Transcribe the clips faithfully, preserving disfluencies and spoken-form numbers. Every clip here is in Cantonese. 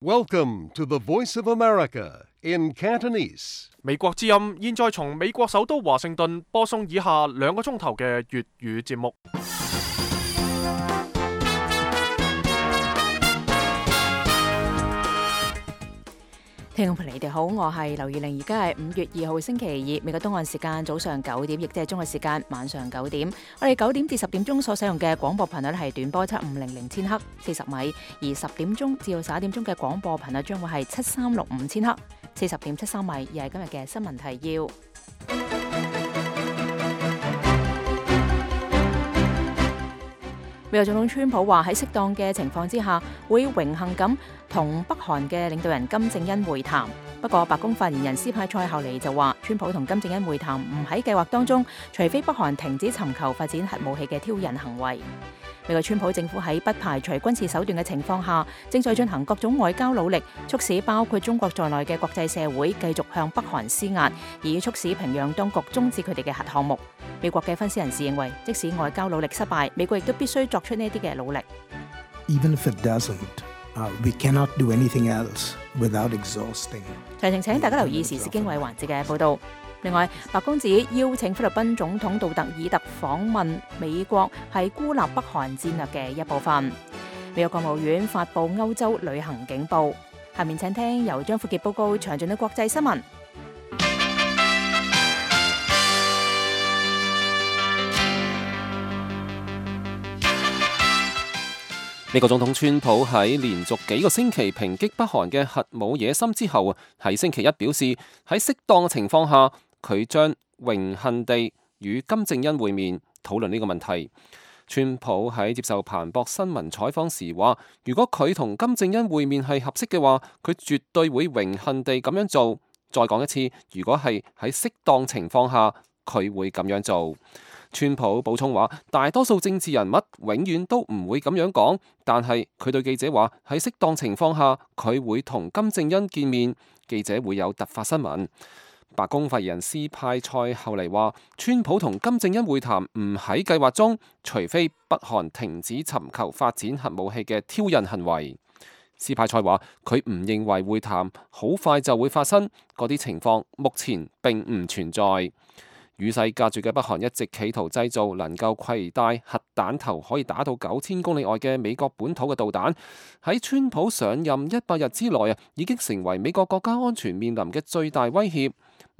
Welcome to the Voice of America in Cantonese. 美國之音現在從美國首都華盛頓播送以下兩個鐘頭嘅粵語節目。聽眾朋友你哋好，我係劉怡玲，而家係五月二號星期二，美國東岸時間早上九點，亦即係中國時間晚上九點。我哋九點至十點鐘所使用嘅廣播頻率係短波七五零零千赫四十米，而十點鐘至到十一點鐘嘅廣播頻率將會係七三六五千赫四十點七三米，而係今日嘅新聞提要。美國總統川普話喺適當嘅情況之下，會榮幸咁同北韓嘅領導人金正恩會談。不過，白宮發言人斯派塞後嚟就話，川普同金正恩會談唔喺計劃當中，除非北韓停止尋求發展核武器嘅挑釁行為。美國川普政府喺不排除軍事手段嘅情況下，正在進行各種外交努力，促使包括中國在內嘅國際社會繼續向北韓施壓，以促使平壤當局終止佢哋嘅核項目。美國嘅分析人士認為，即使外交努力失敗，美國亦都必須作出呢啲嘅努力。Even if it doesn't, uh, we cannot do anything else without exhausting. 詳情請大家留意時事經緯環節嘅報導。另外，白宮指邀請菲律賓總統杜特爾特訪問美國係孤立北韓戰略嘅一部分。美國國務院發布歐洲旅行警報。下面請聽由張富傑報告詳盡嘅國際新聞。美國總統川普喺連續幾個星期抨擊北韓嘅核武野心之後，喺星期一表示喺適當嘅情況下，佢將榮幸地與金正恩會面，討論呢個問題。川普喺接受彭博新聞採訪時話，如果佢同金正恩會面係合適嘅話，佢絕對會榮幸地咁樣做。再講一次，如果係喺適當情況下，佢會咁樣做。川普補充話，大多數政治人物永遠都唔會咁樣講，但係佢對記者話，喺適當情況下，佢會同金正恩見面，記者會有突發新聞。白宮發言人斯派塞後嚟話，川普同金正恩會談唔喺計劃中，除非北韓停止尋求發展核武器嘅挑釁行為。斯派塞話，佢唔認為會談好快就會發生，嗰啲情況目前並唔存在。與世隔絕嘅北韓一直企圖製造能夠攜帶核彈頭可以打到九千公里外嘅美國本土嘅導彈，喺川普上任一百日之內啊，已經成為美國國家安全面臨嘅最大威脅。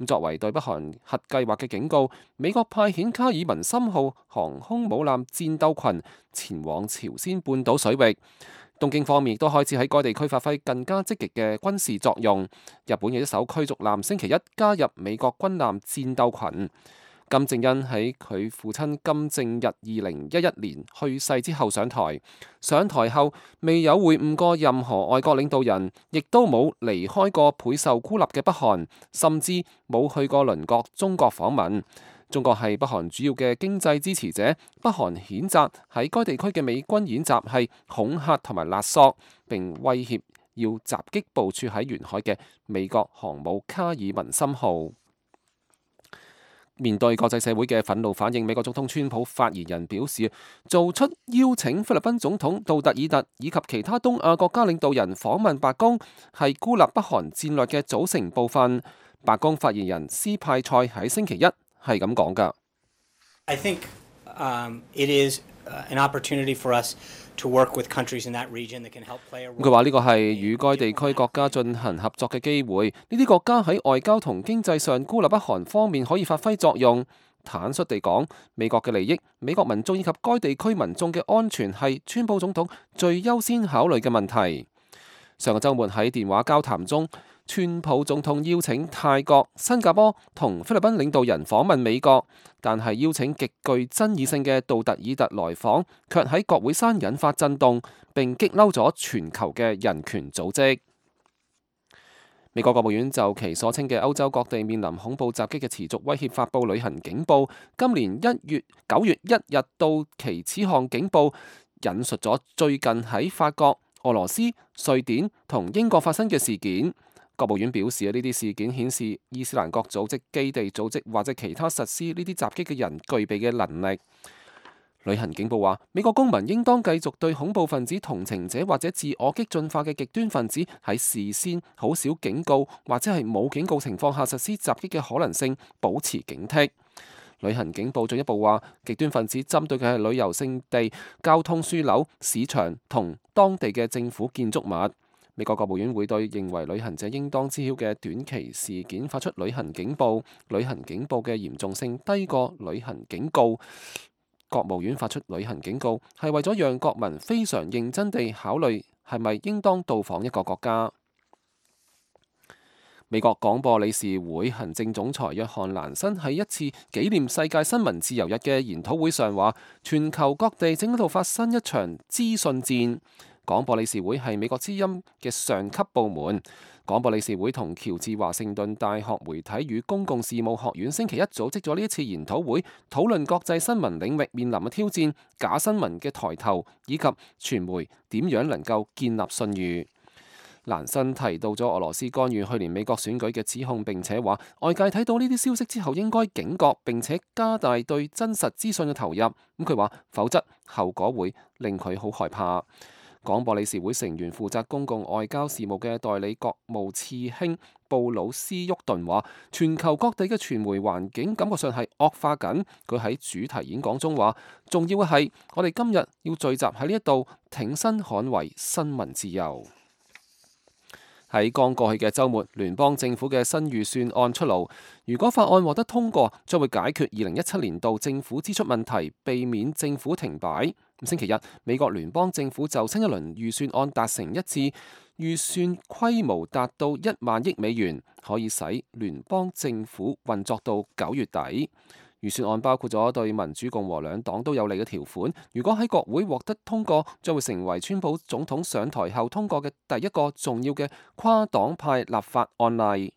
作為對北韓核計劃嘅警告，美國派遣卡爾文森號航空母艦戰鬥群前往朝鮮半島水域。東京方面亦都開始喺該地區發揮更加積極嘅軍事作用。日本嘅一艘驅逐艦星期一加入美國軍艦戰鬥群。金正恩喺佢父親金正日二零一一年去世之後上台，上台後未有會晤過任何外國領導人，亦都冇離開過倍受孤立嘅北韓，甚至冇去過鄰國中國訪問。中國係北韓主要嘅經濟支持者，北韓譴責喺該地區嘅美軍演習係恐嚇同埋勒索，並威脅要襲擊部署喺沿海嘅美國航母卡爾文森號。面對國際社會嘅憤怒反應，美國總統川普發言人表示，做出邀請菲律賓總統杜特爾特以及其他東亞國家領導人訪問白宮，係孤立北韓戰略嘅組成部分。白宮發言人斯派塞喺星期一係咁講㗎。I think, um, it is an opportunity for us to work with countries in that region that can help play a role. 佢話呢個係與該地區國家進行合作嘅機會，呢啲國家喺外交同經濟上孤立北韓方面可以發揮作用。坦率地講，美國嘅利益、美國民眾以及該地區民眾嘅安全係川普總統最優先考慮嘅問題。上個週末喺電話交談中，川普總統邀請泰國、新加坡同菲律賓領導人訪問美國，但係邀請極具爭議性嘅杜特爾特來訪，卻喺國會山引發震動，並激嬲咗全球嘅人權組織。美國國務院就其所稱嘅歐洲各地面臨恐怖襲擊嘅持續威脅發布旅行警報。今年一月九月一日到期，此項警報引述咗最近喺法國、俄羅斯、瑞典同英國發生嘅事件。國務院表示，呢啲事件顯示伊斯蘭國組織、基地組織或者其他實施呢啲襲擊嘅人具備嘅能力。旅行警報話，美國公民應當繼續對恐怖分子同情者或者自我激進化嘅極端分子喺事先好少警告或者係冇警告情況下實施襲擊嘅可能性保持警惕。旅行警報進一步話，極端分子針對嘅係旅遊勝地、交通樞紐、市場同當地嘅政府建築物。美國國務院會對認為旅行者應當知曉嘅短期事件發出旅行警報，旅行警報嘅嚴重性低過旅行警告。國務院發出旅行警告係為咗讓國民非常認真地考慮係咪應當到訪一個國家。美國廣播理事會行政總裁約翰蘭辛喺一次紀念世界新聞自由日嘅研討會上話，全球各地正喺度發生一場資訊戰。廣播理事會係美國之音嘅上級部門。廣播理事會同喬治華盛頓大學媒體與公共事務學院星期一組織咗呢一次研討會，討論國際新聞領域面臨嘅挑戰、假新聞嘅抬頭，以及傳媒點樣能夠建立信譽。蘭辛提到咗俄羅斯干預去年美國選舉嘅指控，並且話外界睇到呢啲消息之後應該警覺，並且加大對真實資訊嘅投入。咁佢話，否則後果會令佢好害怕。廣播理事會成員負責公共外交事務嘅代理國務次卿布魯斯沃頓話，全球各地嘅傳媒環境感覺上係惡化緊。佢喺主題演講中話，重要嘅係我哋今日要聚集喺呢一度挺身捍衛新聞自由。喺剛過去嘅週末，聯邦政府嘅新預算案出爐。如果法案獲得通過，將會解決二零一七年度政府支出問題，避免政府停擺。星期日，美國聯邦政府就新一輪預算案達成一致，預算規模達到一萬億美元，可以使聯邦政府運作到九月底。預算案包括咗對民主共和兩黨都有利嘅條款，如果喺國會獲得通過，將會成為川普總統上台後通過嘅第一個重要嘅跨黨派立法案例。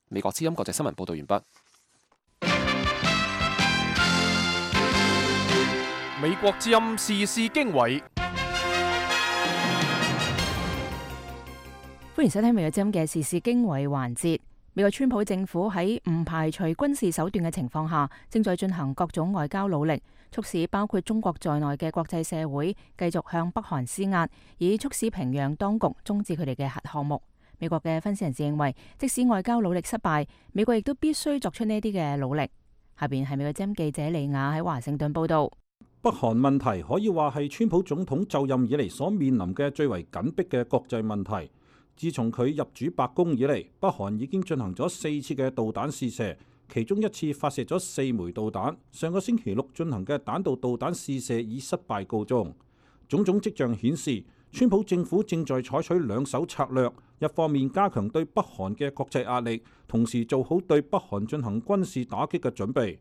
美國之音國際新聞報道完畢。美國之音時事經緯，歡迎收聽美國之音嘅時事經緯環節。美國川普政府喺唔排除軍事手段嘅情況下，正在進行各種外交努力，促使包括中國在內嘅國際社會繼續向北韓施壓，以促使平壤當局終止佢哋嘅核項目。美國嘅分析人士認為，即使外交努力失敗，美國亦都必須作出呢啲嘅努力。下邊係美國之音記者李雅喺華盛頓報道。北韓問題可以話係川普總統就任以嚟所面臨嘅最為緊迫嘅國際問題。自從佢入主白宮以嚟，北韓已經進行咗四次嘅導彈試射，其中一次發射咗四枚導彈。上個星期六進行嘅彈道導彈試射以失敗告終。種種跡象顯示，川普政府正在採取兩手策略，一方面加強對北韓嘅國際壓力，同時做好對北韓進行軍事打擊嘅準備。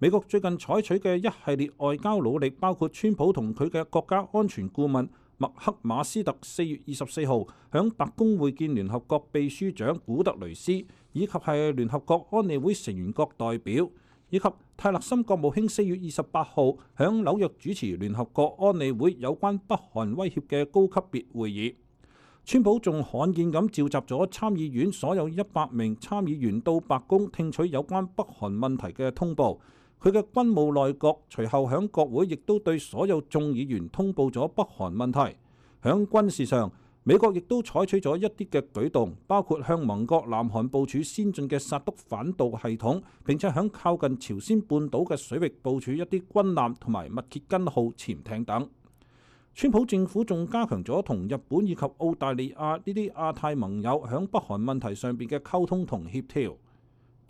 美國最近採取嘅一系列外交努力，包括川普同佢嘅國家安全顧問麥克馬斯特四月二十四號響白宮會見聯合國秘書長古特雷斯，以及係聯合國安理會成員國代表，以及泰勒森國務卿四月二十八號響紐約主持聯合國安理會有關北韓威脅嘅高級別會議。川普仲罕見咁召集咗參議院所有一百名參議員到白宮聽取有關北韓問題嘅通報。佢嘅軍務內閣隨後響國會亦都對所有眾議員通報咗北韓問題。響軍事上，美國亦都採取咗一啲嘅舉動，包括向盟國南韓部署先進嘅薩德反導系統，並且響靠近朝鮮半島嘅水域部署一啲軍艦同埋密歇根號潛艇等。川普政府仲加強咗同日本以及澳大利亞呢啲亞太盟友響北韓問題上邊嘅溝通同協調。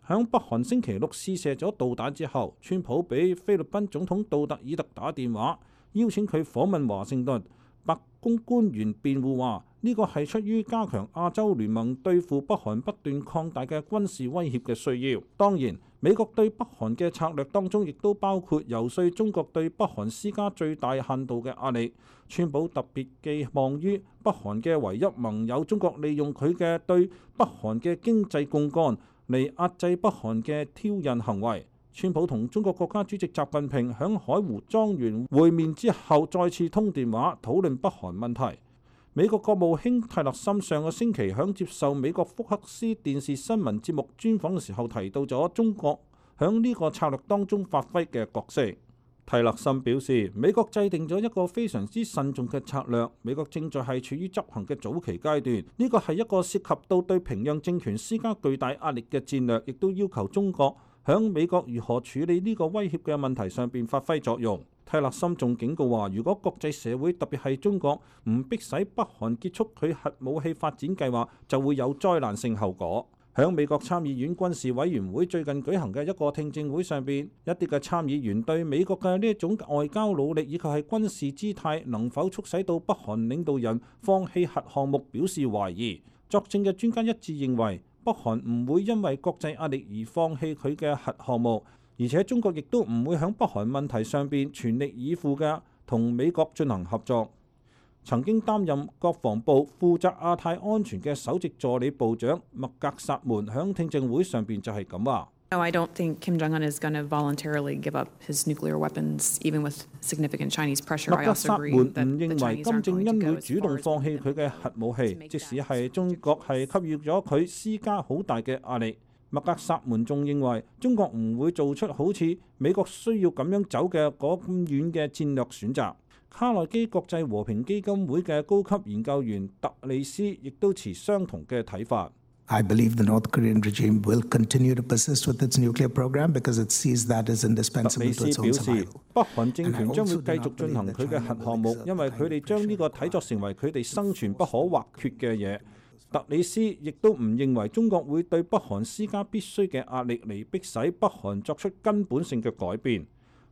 響北韓星期六試射咗導彈之後，川普俾菲律賓總統杜特爾特打電話，邀請佢訪問華盛頓。白宮官員辯護話，呢個係出於加強亞洲聯盟對付北韓不斷擴大嘅軍事威脅嘅需要。當然，美國對北韓嘅策略當中亦都包括游說中國對北韓施加最大限度嘅壓力。川普特別寄望於北韓嘅唯一盟友中國利用佢嘅對北韓嘅經濟槓桿嚟壓制北韓嘅挑釁行為。川普同中國國家主席習近平響海湖莊園會面之後，再次通電話討論北韓問題。美國國務卿泰勒森上個星期響接受美國福克斯電視新聞節目專訪嘅時候，提到咗中國響呢個策略當中發揮嘅角色。蒂勒森表示，美國制定咗一個非常之慎重嘅策略，美國正在係處於執行嘅早期階段。呢個係一個涉及到對平壤政權施加巨大壓力嘅戰略，亦都要求中國響美國如何處理呢個威脅嘅問題上邊發揮作用。蒂勒森仲警告話，如果國際社會特別係中國唔迫使北韓結束佢核武器發展計劃，就會有災難性後果。響美國參議院軍事委員會最近舉行嘅一個聽證會上邊，一啲嘅參議員對美國嘅呢一種外交努力以及係軍事姿態能否促使到北韓領導人放棄核項目表示懷疑。作證嘅專家一致認為，北韓唔會因為國際壓力而放棄佢嘅核項目，而且中國亦都唔會響北韓問題上邊全力以赴嘅同美國進行合作。曾經擔任國防部負責亞太安全嘅首席助理部長麥格薩門響聽證會上邊就係咁話。No, I don't think Kim Jong-un is going to voluntarily give up his nuclear weapons, even with significant Chinese pressure. 麥格薩門唔認為金正恩會主動放棄佢嘅核武器，即使係中國係給予咗佢施加好大嘅壓力。麥格薩門仲認為中國唔會做出好似美國需要咁樣走嘅嗰咁遠嘅戰略選擇。卡內基國際和平基金會嘅高級研究員特里斯亦都持相同嘅睇法。I believe the North Korean regime will continue to persist with its nuclear program because it sees that as indispensable to its own survival. 特里斯表示，北韓政權將會繼續進行佢嘅核項目，因為佢哋將呢個睇作成為佢哋生存不可或缺嘅嘢。特里斯亦都唔認為中國會對北韓施加必須嘅壓力嚟迫使北韓作出根本性嘅改變。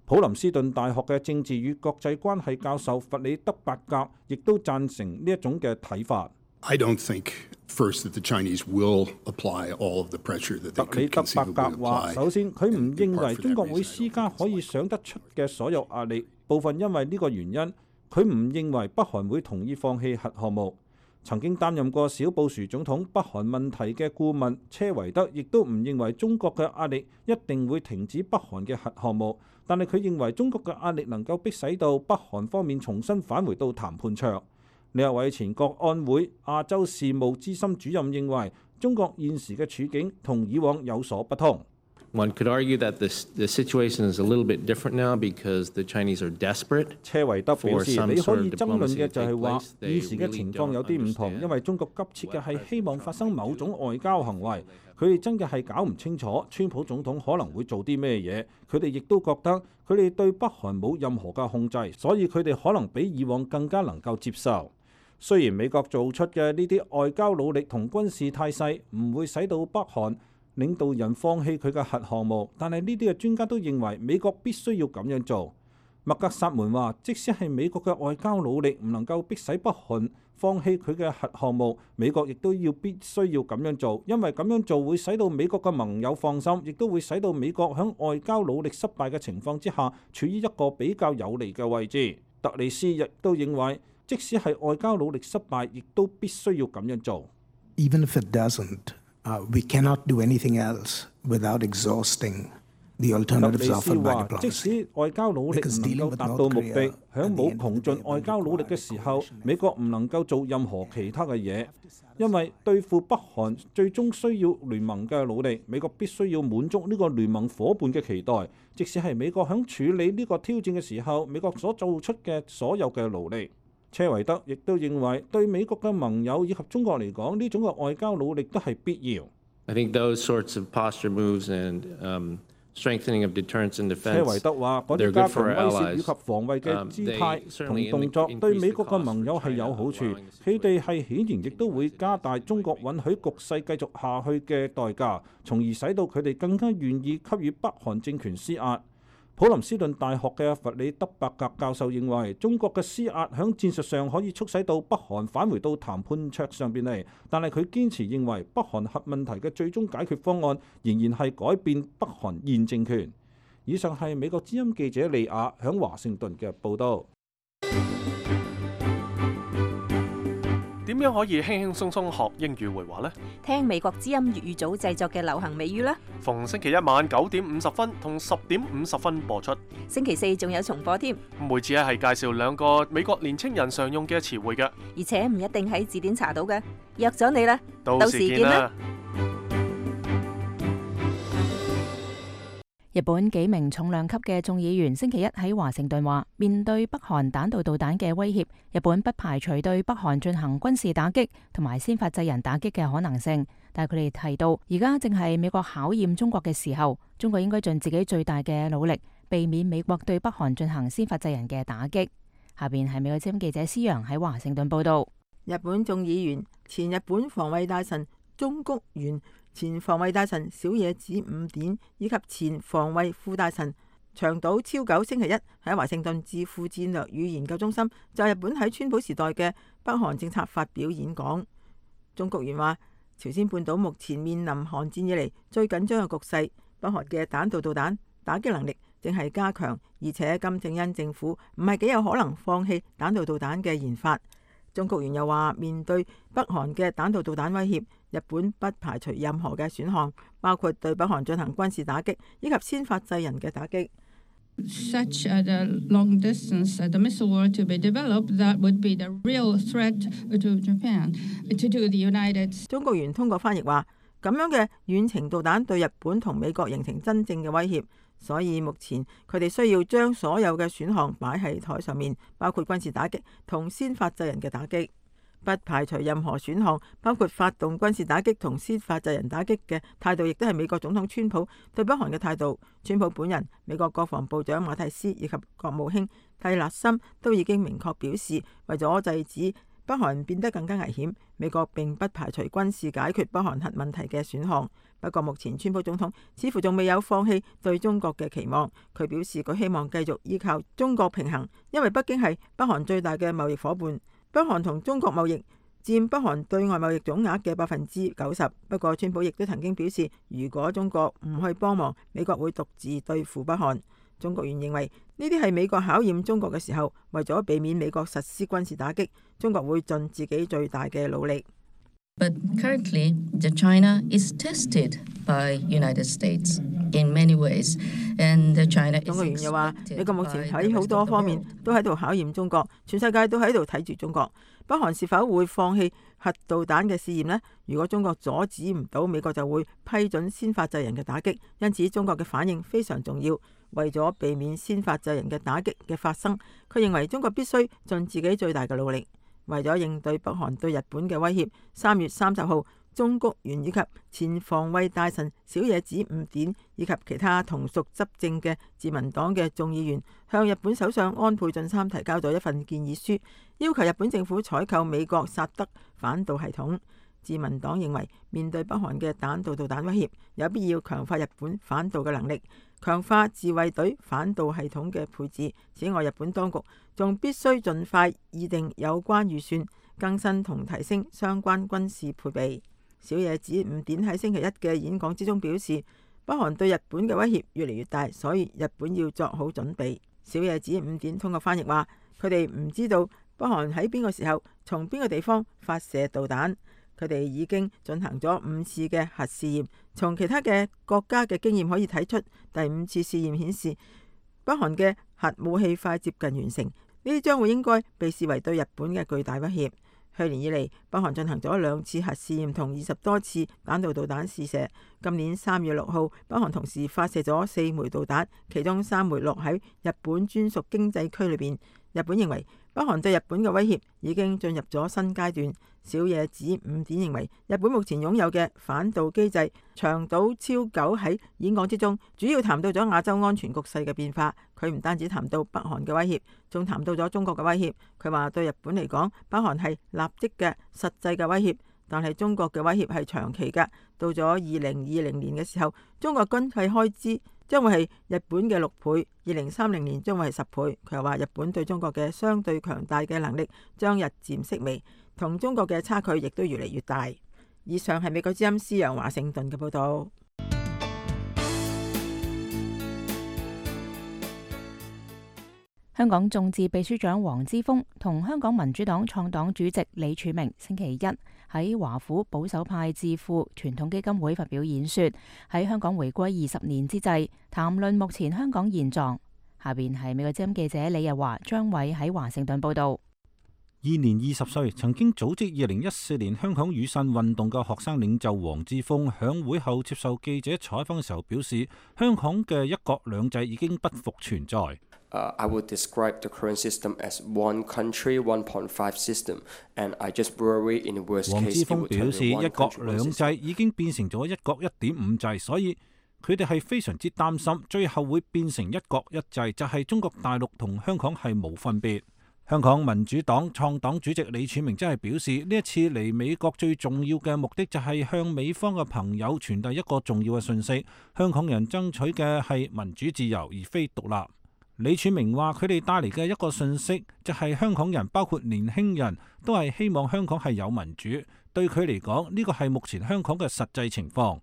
普林斯頓大學嘅政治與國際關係教授弗里德伯格亦都贊成呢一種嘅睇法。I don't think first that the Chinese will apply all of the pressure that they could conceivably apply. 特里德伯格話：首先，佢唔認為中國會施加可以想得出嘅所有壓力，部分因為呢個原因，佢唔認為北韓會同意放棄核項目。曾經擔任過小布殊總統北韓問題嘅顧問車維德亦都唔認為中國嘅壓力一定會停止北韓嘅核項目，但係佢認為中國嘅壓力能夠迫使到北韓方面重新返回到談判桌。呢一位前國安會亞洲事務資深主任認為，中國現時嘅處境同以往有所不同。One could argue that the the situation is a little bit different now because the Chinese are desperate. 車維德表示，你可以爭論嘅就係話，現時嘅情況有啲唔同，因為中國急切嘅係希望發生某種外交行為，佢哋真嘅係搞唔清楚川普總統可能會做啲咩嘢，佢哋亦都覺得佢哋對北韓冇任何嘅控制，所以佢哋可能比以往更加能夠接受。雖然美國做出嘅呢啲外交努力同軍事態勢唔會使到北韓領導人放棄佢嘅核項目，但係呢啲嘅專家都認為美國必須要咁樣做。麥格薩門話，即使係美國嘅外交努力唔能夠迫使北韓放棄佢嘅核項目，美國亦都要必須要咁樣做，因為咁樣做會使到美國嘅盟友放心，亦都會使到美國喺外交努力失敗嘅情況之下，處於一個比較有利嘅位置。特里斯亦都認為，即使係外交努力失敗，亦都必須要咁樣做。Even if it doesn't, uh, we cannot do anything else without exhausting the alternatives offered by diplomacy. 即使外交努力唔能夠達到目的，響冇窮盡外交努力嘅時候，美國唔能夠做任何其他嘅嘢，因為對付北韓最終需要聯盟嘅努力，美國必須要滿足呢個聯盟夥伴嘅期待。即使係美國響處理呢個挑戰嘅時候，美國所做出嘅所有嘅努力。車維德亦都認為，對美國嘅盟友以及中國嚟講，呢種嘅外交努力都係必要。I think those sorts of posture moves and um, strengthening of deterrence and defense, 車維德話：嗰啲加強威懾以及防衛嘅姿態同動作，對美國嘅盟友係有好處。佢哋係顯然亦都會加大中國允許局勢繼續下去嘅代價，從而使到佢哋更加願意給予北韓政權施壓。普林斯頓大學嘅弗里德伯格教授認為，中國嘅施壓喺戰術上可以促使到北韓返回到談判桌上邊嚟，但係佢堅持認為北韓核問題嘅最終解決方案仍然係改變北韓現政權。以上係美國之音記者利亞喺華盛頓嘅報導。點樣可以輕輕鬆鬆學英語會話呢？聽美國之音粵語組製作嘅流行美語啦！逢星期一晚九點五十分同十點五十分播出，星期四仲有重播添。每次咧係介紹兩個美國年青人常用嘅詞彙嘅，而且唔一定喺字典查到嘅。約咗你啦，到時見啦！日本幾名重量級嘅眾議員星期一喺華盛頓話，面對北韓彈道導彈嘅威脅，日本不排除對北韓進行軍事打擊同埋先發制人打擊嘅可能性。但係佢哋提到，而家正係美國考驗中國嘅時候，中國應該盡自己最大嘅努力，避免美國對北韓進行先發制人嘅打擊。下邊係美國之音記者施洋喺華盛頓報道。日本眾議員、前日本防衛大臣中谷元、前防衛大臣小野寺五典以及前防衛副大臣長島昭久星期一喺華盛頓智庫戰略與研究中心就日本喺川普時代嘅北韓政策發表演講。中谷元話，朝鮮半島目前面臨韓戰以嚟最緊張嘅局勢，北韓嘅彈道導彈打擊能力正係加強，而且金正恩政府唔係幾有可能放棄彈道導彈嘅研發。中谷元又話，面對北韓嘅彈道導彈威脅，日本不排除任何嘅選項，包括對北韓進行軍事打擊以及先發制人嘅打擊。Such a long distance the missile were to be developed, that would be the real threat to Japan, to the United States. 中國元通過翻譯話，咁樣嘅遠程導彈對日本同美國形成真正嘅威脅，所以目前佢哋需要將所有嘅選項擺喺台上面，包括軍事打擊同先發制人嘅打擊。不排除任何選項，包括發動軍事打擊同先發制人打擊嘅態度，亦都係美國總統川普對北韓嘅態度。川普本人、美國國防部長馬蒂斯以及國務卿蒂勒森都已經明確表示，為咗制止北韓變得更加危險，美國並不排除軍事解決北韓核問題嘅選項。不過目前川普總統似乎仲未有放棄對中國嘅期望。佢表示佢希望繼續依靠中國平衡，因為北京係北韓最大嘅貿易夥伴。北韓同中國貿易佔北韓對外貿易總額嘅百分之九十。不過川普亦都曾經表示，如果中國唔去幫忙，美國會獨自對付北韓。中國元認為呢啲係美國考驗中國嘅時候，為咗避免美國實施軍事打擊，中國會盡自己最大嘅努力。But currently, the China is tested by United States in many ways, and the China. 中國元又話，美國目前喺好多方面都喺度考驗中國，全世界都喺度睇住中國。北韓是否會放棄核導彈嘅試驗呢？如果中國阻止唔到，美國就會批准先發制人嘅打擊。因此，中國嘅反應非常重要。為咗避免先發制人嘅打擊嘅發生，佢認為中國必須盡自己最大嘅努力。為咗應對北韓對日本嘅威脅，三月三十號，中谷元以及前防衛大臣小野寺五典以及其他同屬執政嘅自民黨嘅眾議員，向日本首相安倍晉三提交咗一份建議書，要求日本政府採購美國薩德反導系統。自民黨認為，面對北韓嘅彈道導彈威脅，有必要強化日本反導嘅能力，強化自衛隊反導系統嘅配置。此外，日本當局仲必須盡快擬定有關預算，更新同提升相關軍事配備。小野寺五典喺星期一嘅演講之中表示，北韓對日本嘅威脅越嚟越大，所以日本要作好準備。小野寺五典通過翻譯話，佢哋唔知道北韓喺邊個時候從邊個地方發射導彈。佢哋已經進行咗五次嘅核試驗，從其他嘅國家嘅經驗可以睇出，第五次試驗顯示北韓嘅核武器快接近完成，呢啲將會應該被視為對日本嘅巨大威脅。去年以嚟，北韓進行咗兩次核試驗同二十多次彈道導彈試射。今年三月六號，北韓同時發射咗四枚導彈，其中三枚落喺日本專屬經濟區裏邊。日本認為北韓對日本嘅威脅已經進入咗新階段。小野寺五典認為，日本目前擁有嘅反導機制。長島昭久喺演講之中，主要談到咗亞洲安全局勢嘅變化。佢唔單止談到北韓嘅威脅，仲談到咗中國嘅威脅。佢話對日本嚟講，北韓係立即嘅實際嘅威脅，但係中國嘅威脅係長期嘅。到咗二零二零年嘅時候，中國軍費開支將會係日本嘅六倍，二零三零年將會係十倍。佢又話日本對中國嘅相對強大嘅能力將日漸式微，同中國嘅差距亦都越嚟越大。以上係美國之音施洋華盛頓嘅報道。香港眾志秘書長黃之鋒同香港民主黨創黨主席李柱銘星期一喺華府保守派智庫傳統基金會發表演說，喺香港回歸二十年之際，談論目前香港現狀。下邊係美國之音記者李日華、張偉喺華盛頓報道。現年二十歲，曾經組織二零一四年香港雨傘運動嘅學生領袖黃之鋒響會後接受記者採訪嘅時候表示，香港嘅一國兩制已經不復存在。Uh, I would describe the current system as one country, one point five system, and I just worry in the worst case. 黃之鋒表示，一國兩制已經變成咗一國一點五制，所以佢哋係非常之擔心，最後會變成一國一制，就係中國大陸同香港係冇分別。香港民主黨創黨主席李柱銘真係表示，呢一次嚟美國最重要嘅目的就係向美方嘅朋友傳遞一個重要嘅訊息：香港人爭取嘅係民主自由，而非獨立。李柱銘話：佢哋帶嚟嘅一個訊息就係香港人，包括年輕人都係希望香港係有民主。對佢嚟講，呢個係目前香港嘅實際情況。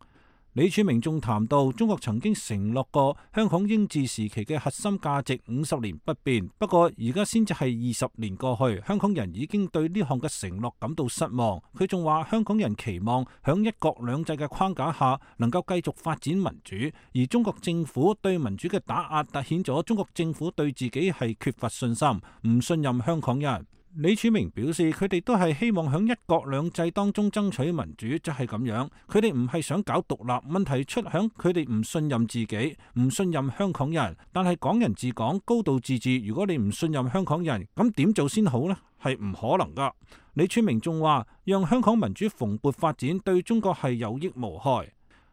李柱銘仲談到，中國曾經承諾過香港英治時期嘅核心價值五十年不變，不過而家先至係二十年過去，香港人已經對呢項嘅承諾感到失望。佢仲話，香港人期望響一國兩制嘅框架下能夠繼續發展民主，而中國政府對民主嘅打壓凸顯咗中國政府對自己係缺乏信心，唔信任香港人。李柱銘表示，佢哋都係希望喺一國兩制當中爭取民主，就係咁樣。佢哋唔係想搞獨立，問題出響佢哋唔信任自己，唔信任香港人。但係港人治港、高度自治，如果你唔信任香港人，咁點做先好呢？係唔可能噶。李柱銘仲話，讓香港民主蓬勃發展對中國係有益無害。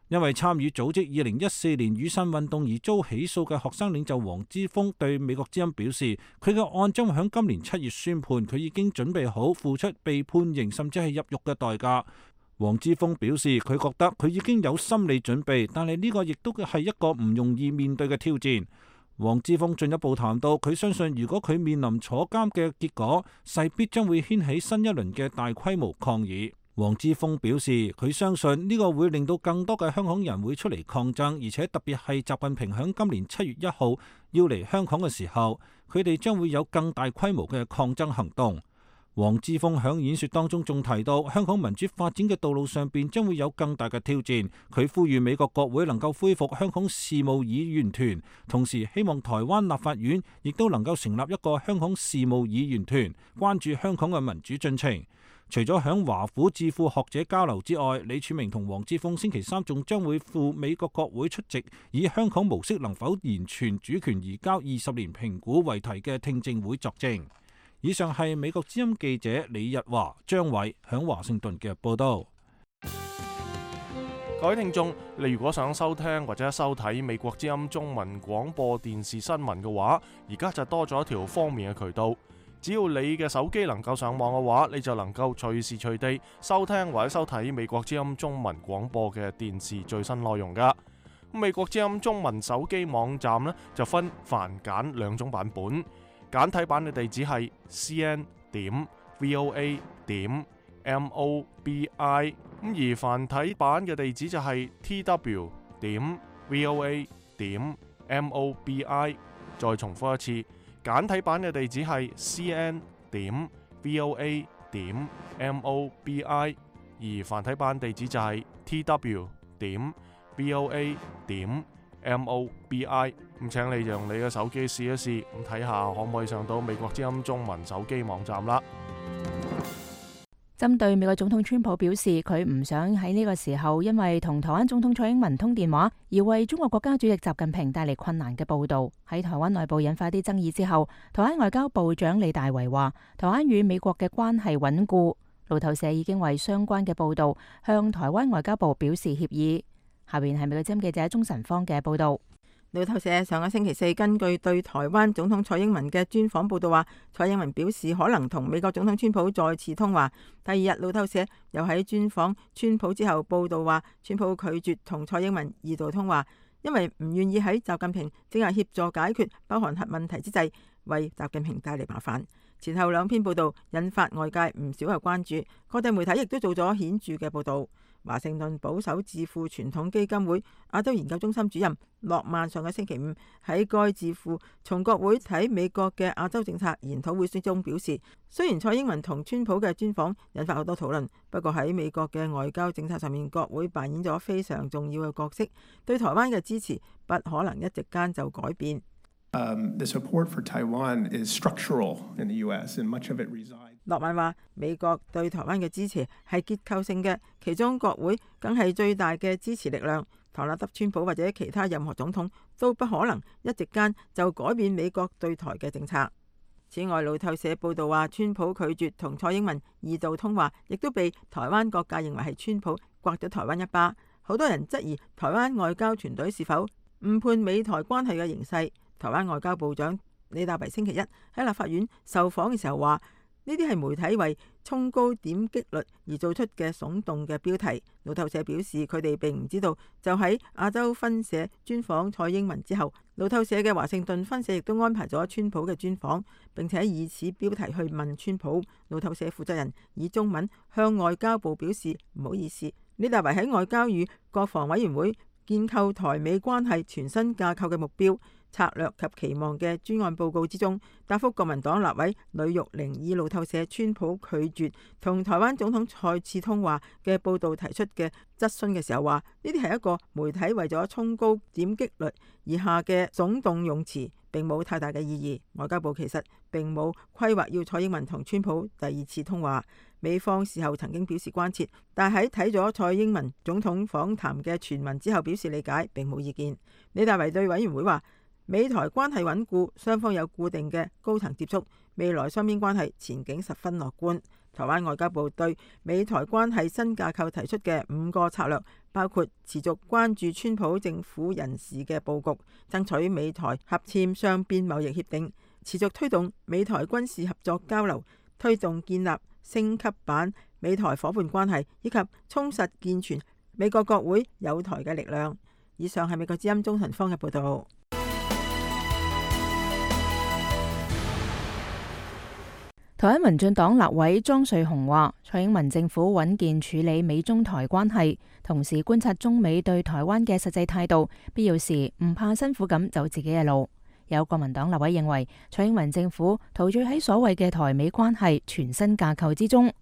因為參與組織二零一四年雨傘運動而遭起訴嘅學生領袖黃之鋒對美國之音表示，佢嘅案將會喺今年七月宣判，佢已經準備好付出被判刑甚至係入獄嘅代價。黃之鋒表示，佢覺得佢已經有心理準備，但係呢個亦都係一個唔容易面對嘅挑戰。黃之鋒進一步談到，佢相信如果佢面臨坐監嘅結果，勢必將會掀起新一輪嘅大規模抗議。黃之鋒表示，佢相信呢個會令到更多嘅香港人會出嚟抗爭，而且特別係習近平響今年七月一號要嚟香港嘅時候，佢哋將會有更大規模嘅抗爭行動。黃之鋒響演說當中仲提到，香港民主發展嘅道路上邊將會有更大嘅挑戰。佢呼籲美國國會能夠恢復香港事務議員團，同時希望台灣立法院亦都能夠成立一個香港事務議員團，關注香港嘅民主進程。除咗響華府智庫學者交流之外，李柱銘同黃之鋒星期三仲將會赴美國國會出席以香港模式能否完全主權移交二十年評估為題嘅聽證會作證。以上係美國之音記者李日華、張偉響華盛頓嘅報道。各位聽眾，你如果想收聽或者收睇美國之音中文廣播電視新聞嘅話，而家就多咗一條方便嘅渠道。只要你嘅手機能夠上網嘅話，你就能夠隨時隨地收聽或者收睇美國之音中文廣播嘅電視最新內容噶。美國之音中文手機網站呢，就分繁簡兩種版本，簡體版嘅地址係 c n 點 v o a 點 m o b i， 咁而繁體版嘅地址就係 t w 點 v o a 點 m o b i。再重複一次。簡體版嘅地址係 c n 點 v o a 點 m o b i， 而繁體版地址就係 t w 點 v o a 點 m o b i。咁請你用你嘅手機試一試，咁睇下可唔可以上到美國之音中文手機網站啦。針對美國總統川普表示，佢唔想喺呢個時候因為同台灣總統蔡英文通電話而為中國國家主席習近平帶嚟困難嘅報道，喺台灣內部引發啲爭議之後，台灣外交部長李大維話，台灣與美國嘅關係穩固。路透社已經為相關嘅報道向台灣外交部表示歉意。下邊係美國之音記者鍾晨芳嘅報道。路透社上個星期四根據對台灣總統蔡英文嘅專訪報道話，蔡英文表示可能同美國總統川普再次通話。第二日，路透社又喺專訪川普之後報道話，川普拒絕同蔡英文二度通話，因為唔願意喺習近平正係協助解決北韓核問題之際為習近平帶嚟麻煩。前後兩篇報道引發外界唔少嘅關注，各地媒體亦都做咗顯著嘅報道。華盛頓保守智庫傳統基金會亞洲研究中心主任諾曼上個星期五喺該智庫從國會睇美國嘅亞洲政策研討會中表示，雖然蔡英文同川普嘅專訪引發好多討論，不過喺美國嘅外交政策上面，國會扮演咗非常重要嘅角色，對台灣嘅支持不可能一夕間就改變。Um, the support for Taiwan is structural in the U S and much of it resides. 諾曼話：美國對台灣嘅支持係結構性嘅，其中國會梗係最大嘅支持力量。唐納德、川普或者其他任何總統都不可能一夕間就改變美國對台嘅政策。此外，路透社報道話，川普拒絕同蔡英文二度通話，亦都被台灣各界認為係川普刮咗台灣一巴。好多人質疑台灣外交團隊是否誤判美台關係嘅形勢。台灣外交部長李大維星期一喺立法院受訪嘅時候話：呢啲係媒體為衝高點擊率而做出嘅聳動嘅標題。路透社表示，佢哋並唔知道，就喺亞洲分社專訪蔡英文之後，路透社嘅華盛頓分社亦都安排咗川普嘅專訪，並且以此標題去問川普。路透社負責人以中文向外交部表示唔好意思。李大維喺外交與國防委員會建構台美關係全新架構嘅目標、策略及期望嘅專案報告之中，答覆國民黨立委呂玉玲以路透社川普拒絕同台灣總統再次通話嘅報導提出嘅質詢嘅時候話：呢啲係一個媒體為咗衝高點擊率而下嘅聳動用詞，並冇太大嘅意義。外交部其實並冇規劃要蔡英文同川普第二次通話。美方事後曾經表示關切，但喺睇咗蔡英文總統訪談嘅傳聞之後表示理解，並冇意見。李大維對委員會話：美台關係穩固，雙方有固定嘅高層接觸，未來雙邊關係前景十分樂觀。台灣外交部對美台關係新架構提出嘅五個策略，包括持續關注川普政府人事嘅佈局，爭取美台合簽雙邊貿易協定，持續推動美台軍事合作交流，推動建立升級版美台夥伴關係，以及充實健全美國國會友台嘅力量。以上係美國之音中陳方嘅報道。台灣民進黨立委莊瑞雄話：蔡英文政府穩健處理美中台關係，同時觀察中美對台灣嘅實際態度，必要時唔怕辛苦咁走自己嘅路。有國民黨立委認為，蔡英文政府陶醉喺所謂嘅台美關係全新架構之中。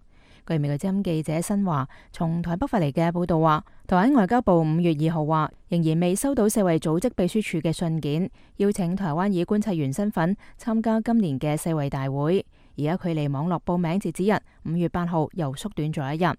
據美國之音記者新華從台北發嚟嘅報道話，台灣外交部五月二號話，仍然未收到世衛組織秘書處嘅信件，邀請台灣以觀察員身份參加今年嘅世衛大會。而家距離網絡報名截止日五月八號又縮短咗一日。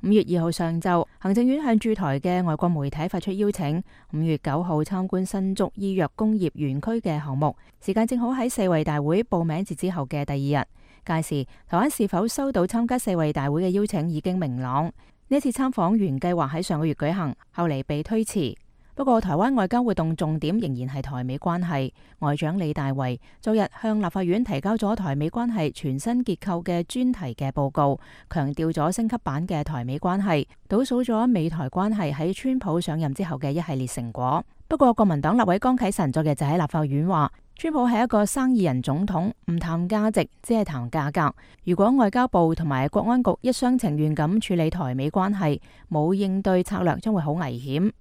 五月二號上晝，行政院向駐台嘅外國媒體發出邀請，五月九號參觀新竹醫藥工業園區嘅項目，時間正好喺世衛大會報名截止後嘅第二日。屆時，台灣是否收到參加世衛大會嘅邀請已經明朗。呢次參訪原計劃喺上個月舉行，後嚟被推遲。不過，台灣外交活動重點仍然係台美關係。外長李大維昨日向立法院提交咗台美關係全新結構嘅專題嘅報告，強調咗升級版嘅台美關係，倒數咗美台關係喺川普上任之後嘅一系列成果。不過，國民黨立委江啟臣昨日就喺立法院話，川普係一個生意人總統，唔談價值，只係談價格。如果外交部同埋國安局一廂情願咁處理台美關係，冇應對策略，將會好危險。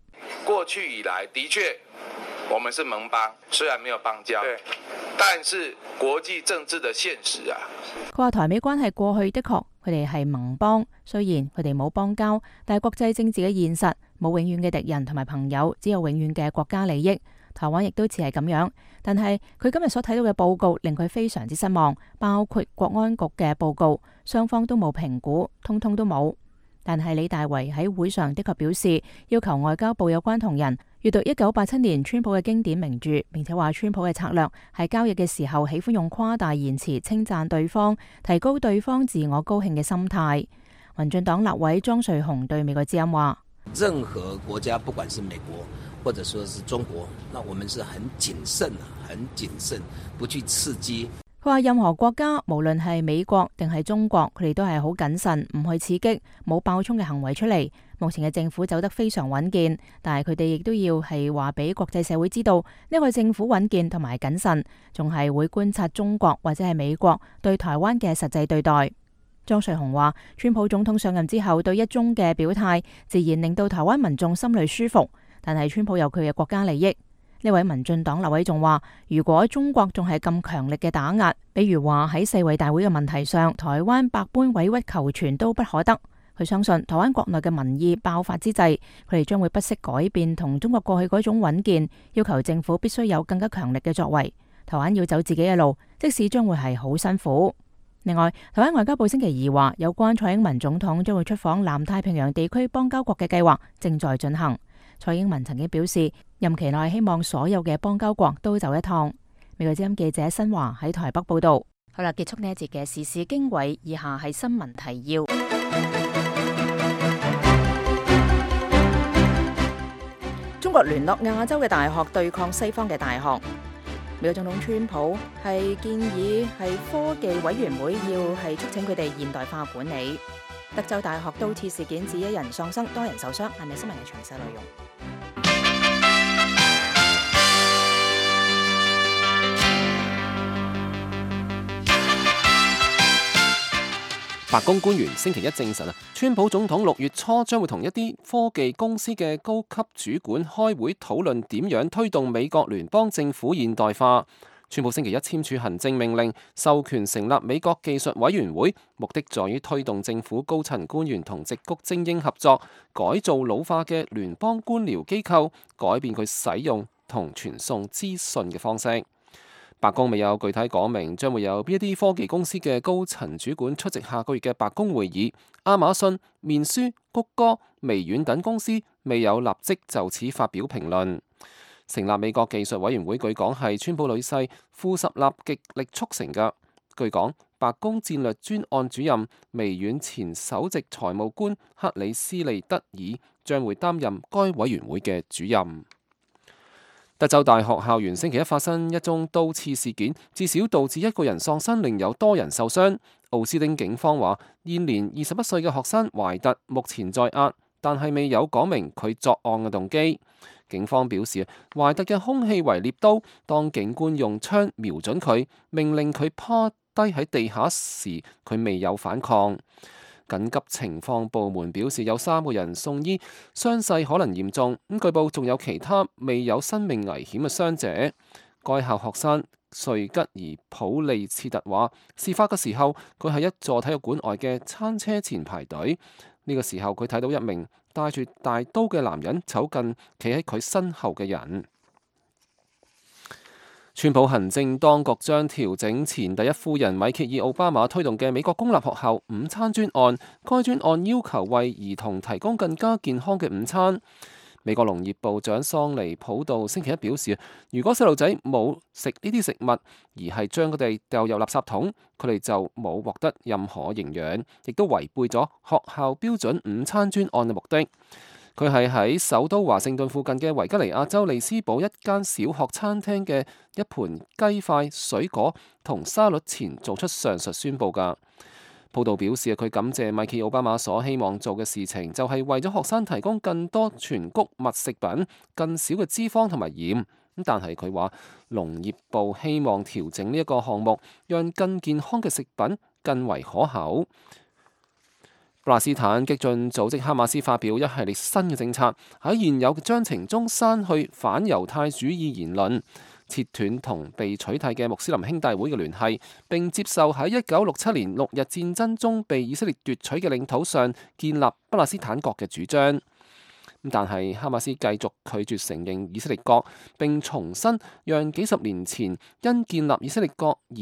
過去以來，的確，我們是盟邦，雖然沒有邦交，但是國際政治的現實啊。佢話台美關係過去的確，佢哋係盟邦，雖然佢哋冇邦交，但係國際政治嘅現實，冇永遠嘅敵人同埋朋友，只有永遠嘅國家利益。台灣亦都似係咁樣，但係佢今日所睇到嘅報告令佢非常之失望，包括國安局嘅報告，雙方都冇評估，通通都冇。但係李大維喺會上的確表示，要求外交部有關同仁閱讀一九八七年川普嘅經典名著，並且話川普嘅策略係交易嘅時候喜歡用誇大言辭稱讚對方，提高對方自我高興嘅心態。民進黨立委莊瑞雄對美國之音話：任何國家，不管是美國或者說是中國，那我們是很謹慎，很謹慎，不去刺激。佢話任何國家，無論係美國定係中國，佢哋都係好謹慎，唔去刺激，冇爆衝嘅行為出嚟。目前嘅政府走得非常穩健，但係佢哋亦都要係話俾國際社會知道，呢個政府穩健同埋謹慎，仲係會觀察中國或者係美國對台灣嘅實際對待。莊瑞雄話，川普總統上任之後對一中嘅表態，自然令到台灣民眾心裏舒服，但係川普有佢嘅國家利益。呢位民進黨立委仲話，如果中國仲係咁強力嘅打壓，比如話喺世衛大會嘅問題上，台灣百般委屈求全都不可得。佢相信台灣國內嘅民意爆發之際，佢哋將會不惜改變同中國過去嗰種穩健，要求政府必須有更加強力嘅作為。台灣要走自己嘅路，即使將會係好辛苦。另外，台灣外交部星期二話，有關蔡英文總統將會出訪南太平洋地區邦交國嘅計劃正在進行。蔡英文曾經表示，任期內希望所有嘅邦交國都走一趟。美國之音記者新華喺台北報道。好啦，結束呢一節嘅時事經緯，以下係新聞提要。中國聯絡亞洲嘅大學對抗西方嘅大學。美國總統川普係建議係科技委員會要係促請佢哋現代化管理。德州大學刀刺事件致一人喪生，多人受傷。係咪新聞嘅詳細內容？白宮官員星期一證實啊，川普總統六月初將會同一啲科技公司嘅高級主管開會討論點樣推動美國聯邦政府現代化。川普星期一簽署行政命令，授權成立美國技術委員會，目的在於推動政府高層官員同矽谷精英合作，改造老化嘅聯邦官僚機構，改變佢使用同傳送資訊嘅方式。白宮未有具體講明將會有邊一啲科技公司嘅高層主管出席下個月嘅白宮會議。亞馬遜、面書、谷歌、微軟等公司未有立即就此發表評論。成立美國技術委員會據講係川普女婿庫什納極力促成嘅。據講，白宮戰略專案主任、微軟前首席財務官克里斯利德爾將會擔任該委員會嘅主任。德州大學校園星期一發生一宗刀刺事件，至少導致一個人喪生，另有多人受傷。奧斯汀警方話，現年二十一歲嘅學生懷特目前在押，但係未有講明佢作案嘅動機。警方表示，懷特嘅兇器為獵刀，當警官用槍瞄準佢，命令佢趴低喺地下時，佢未有反抗。緊急情況部門表示有三個人送醫，傷勢可能嚴重。咁據報仲有其他未有生命危險嘅傷者。該校學生瑞吉爾普利切特話，事發嘅時候佢喺一座體育館外嘅餐車前排隊。呢個時候佢睇到一名帶住大刀嘅男人走近企喺佢身後嘅人。川普行政當局將調整前第一夫人米歇爾奧巴馬推動嘅美國公立學校午餐專案，該專案要求為兒童提供更加健康嘅午餐。美國農業部長桑尼普道星期一表示，如果細路仔冇食呢啲食物，而係將佢哋掉入垃圾桶，佢哋就冇獲得任何營養，亦都違背咗學校標準午餐專案嘅目的。佢係喺首都華盛頓附近嘅維吉尼亞州利斯堡一間小學餐廳嘅一盤雞塊、水果同沙律前做出上述宣佈㗎。報道表示，佢感謝米歇爾奧巴馬所希望做嘅事情，就係為咗學生提供更多全穀物食品、更少嘅脂肪同埋鹽。但係佢話，農業部希望調整呢一個項目，讓更健康嘅食品更為可口。巴勒斯坦激進組織哈馬斯發表一系列新嘅政策，喺現有嘅章程中刪去反猶太主義言論，切斷同被取締嘅穆斯林兄弟會嘅聯繫，並接受喺一九六七年六日戰爭中被以色列奪取嘅領土上建立巴勒斯坦國嘅主張。但係哈馬斯繼續拒絕承認以色列國，並重申讓幾十年前因建立以色列國而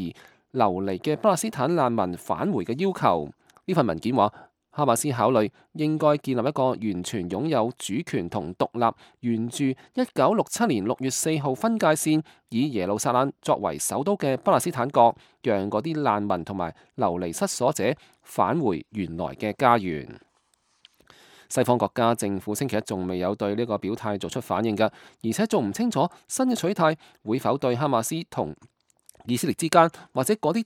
流離嘅巴勒斯坦難民返回嘅要求。呢份文件話，哈馬斯考慮應該建立一個完全擁有主權同獨立，沿住一九六七年六月四號分界線，以耶路撒冷作為首都嘅巴勒斯坦國，讓嗰啲難民同埋流離失所者返回原來嘅家園。西方國家政府星期一仲未有對呢個表態做出反應㗎，而且仲唔清楚新嘅取態會否對哈馬斯同以色列之間，或者嗰啲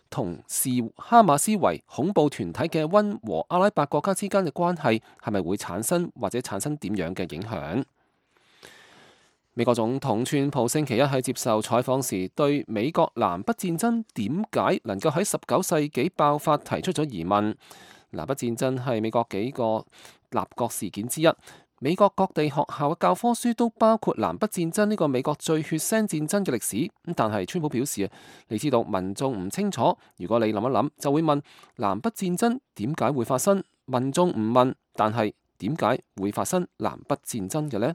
同視哈馬斯為恐怖團體嘅溫和阿拉伯國家之間嘅關係係咪會產生或者產生點樣嘅影響？美國總統川普星期一喺接受採訪時，對美國南北戰爭點解能夠喺十九世紀爆發提出咗疑問。南北戰爭係美國幾個立國事件之一。美國各地學校嘅教科書都包括南北戰爭呢個美國最血腥戰爭嘅歷史。但係川普表示，你知道民眾唔清楚，如果你諗一諗，就會問南北戰爭點解會發生？民眾唔問，但係點解會發生南北戰爭嘅呢？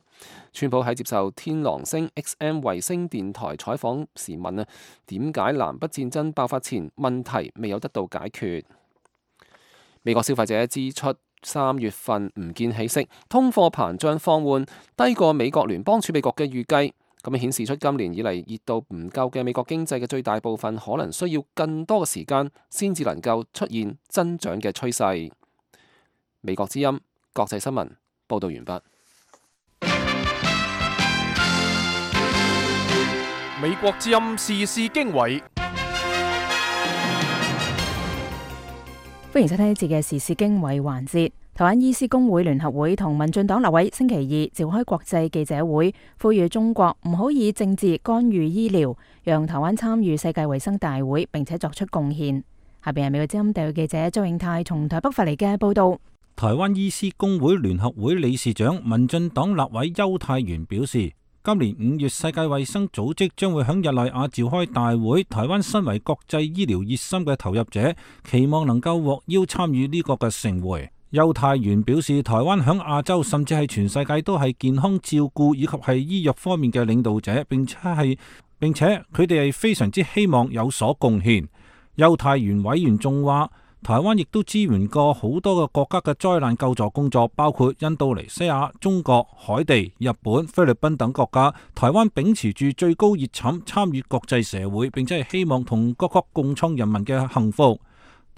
川普喺接受天狼星 X M 衛星電台採訪時問啊，點解南北戰爭爆發前問題未有得到解決？美國消費者支出三月份唔見起色，通貨膨脹放緩，低過美國聯邦儲備局嘅預計。咁樣顯示出今年以嚟熱度唔夠嘅美國經濟嘅最大部分可能需要更多嘅時間先至能夠出現增長嘅趨勢。美國之音國際新聞報道完畢。美國之音時事經緯，歡迎收聽呢節嘅時事經緯環節。台灣醫師公會聯合會同民進黨立委星期二召開國際記者會，呼籲中國唔好以政治干預醫療，讓台灣參與世界衛生大會並且作出貢獻。下邊係美國之音特約記者周永泰從台北發嚟嘅報道。台灣醫師公會聯合會理事長、民進黨立委邱泰源表示，今年五月世界衛生組織將會響日內瓦召開大會，台灣身為國際醫療熱心嘅投入者，期望能夠獲邀參與呢個嘅盛會。邱泰源表示，台灣響亞洲甚至係全世界都係健康照顧以及係醫藥方面嘅領導者，並且係並且佢哋係非常之希望有所貢獻。邱泰源委員仲話，台灣亦都支援過好多個國家嘅災難救助工作，包括印度尼西亞、中國、海地、日本、菲律賓等國家。台灣秉持住最高熱忱參與國際社會，並且係希望同各國共創人民嘅幸福。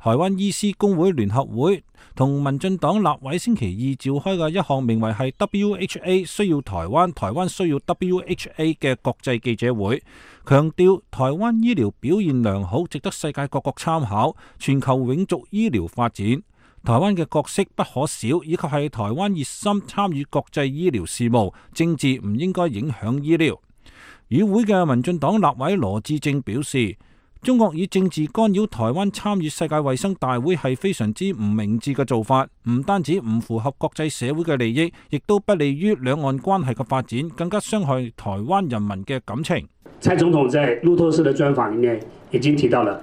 台灣醫師公會聯合會同民進黨立委星期二召開嘅一項名為係 W H A 需要台灣，台灣需要 W H A 嘅國際記者會，強調台灣醫療表現良好，值得世界各國參考，全球永續醫療發展。台灣嘅角色不可少，以及係台灣熱心參與國際醫療事務，政治唔應該影響醫療。與會嘅民進黨立委羅致政表示，中國以政治干擾台灣參與世界衛生大會係非常之唔明智嘅做法，唔單止唔符合國際社會嘅利益，亦都不利於兩岸關係嘅發展，更加傷害台灣人民嘅感情。蔡總統在路透社嘅專訪裡面已經提到了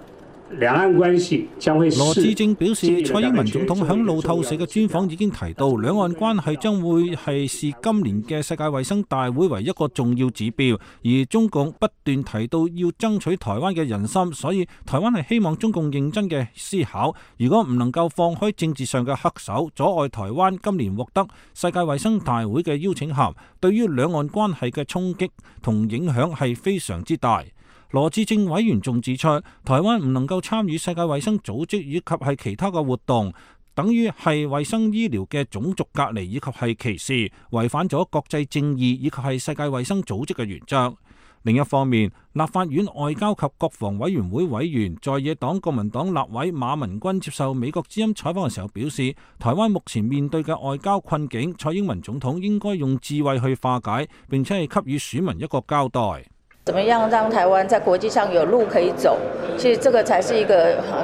兩岸關係將會。羅致政表示，蔡英文總統響路透社嘅專訪已經提到，兩岸關係將會係視今年嘅世界衛生大會為一個重要指標，而中共不斷提到要爭取台灣嘅人心，所以台灣係希望中共認真嘅思考，如果唔能夠放開政治上嘅黑手，阻礙台灣今年獲得世界衛生大會嘅邀請函，對於兩岸關係嘅衝擊同影響係非常之大。羅致政委員仲指出，台灣唔能夠參與世界衛生組織以及係其他嘅活動，等於係衛生醫療嘅種族隔離以及係歧視，違反咗國際正義以及係世界衛生組織嘅原則。另一方面，立法院外交及國防委員會委員在野黨國民黨立委馬文君接受美國之音採訪嘅時候表示，台灣目前面對嘅外交困境，蔡英文總統應該用智慧去化解，並且係給予選民一個交代。怎麼樣讓台灣在國際上有路可以走？其實這個才是一個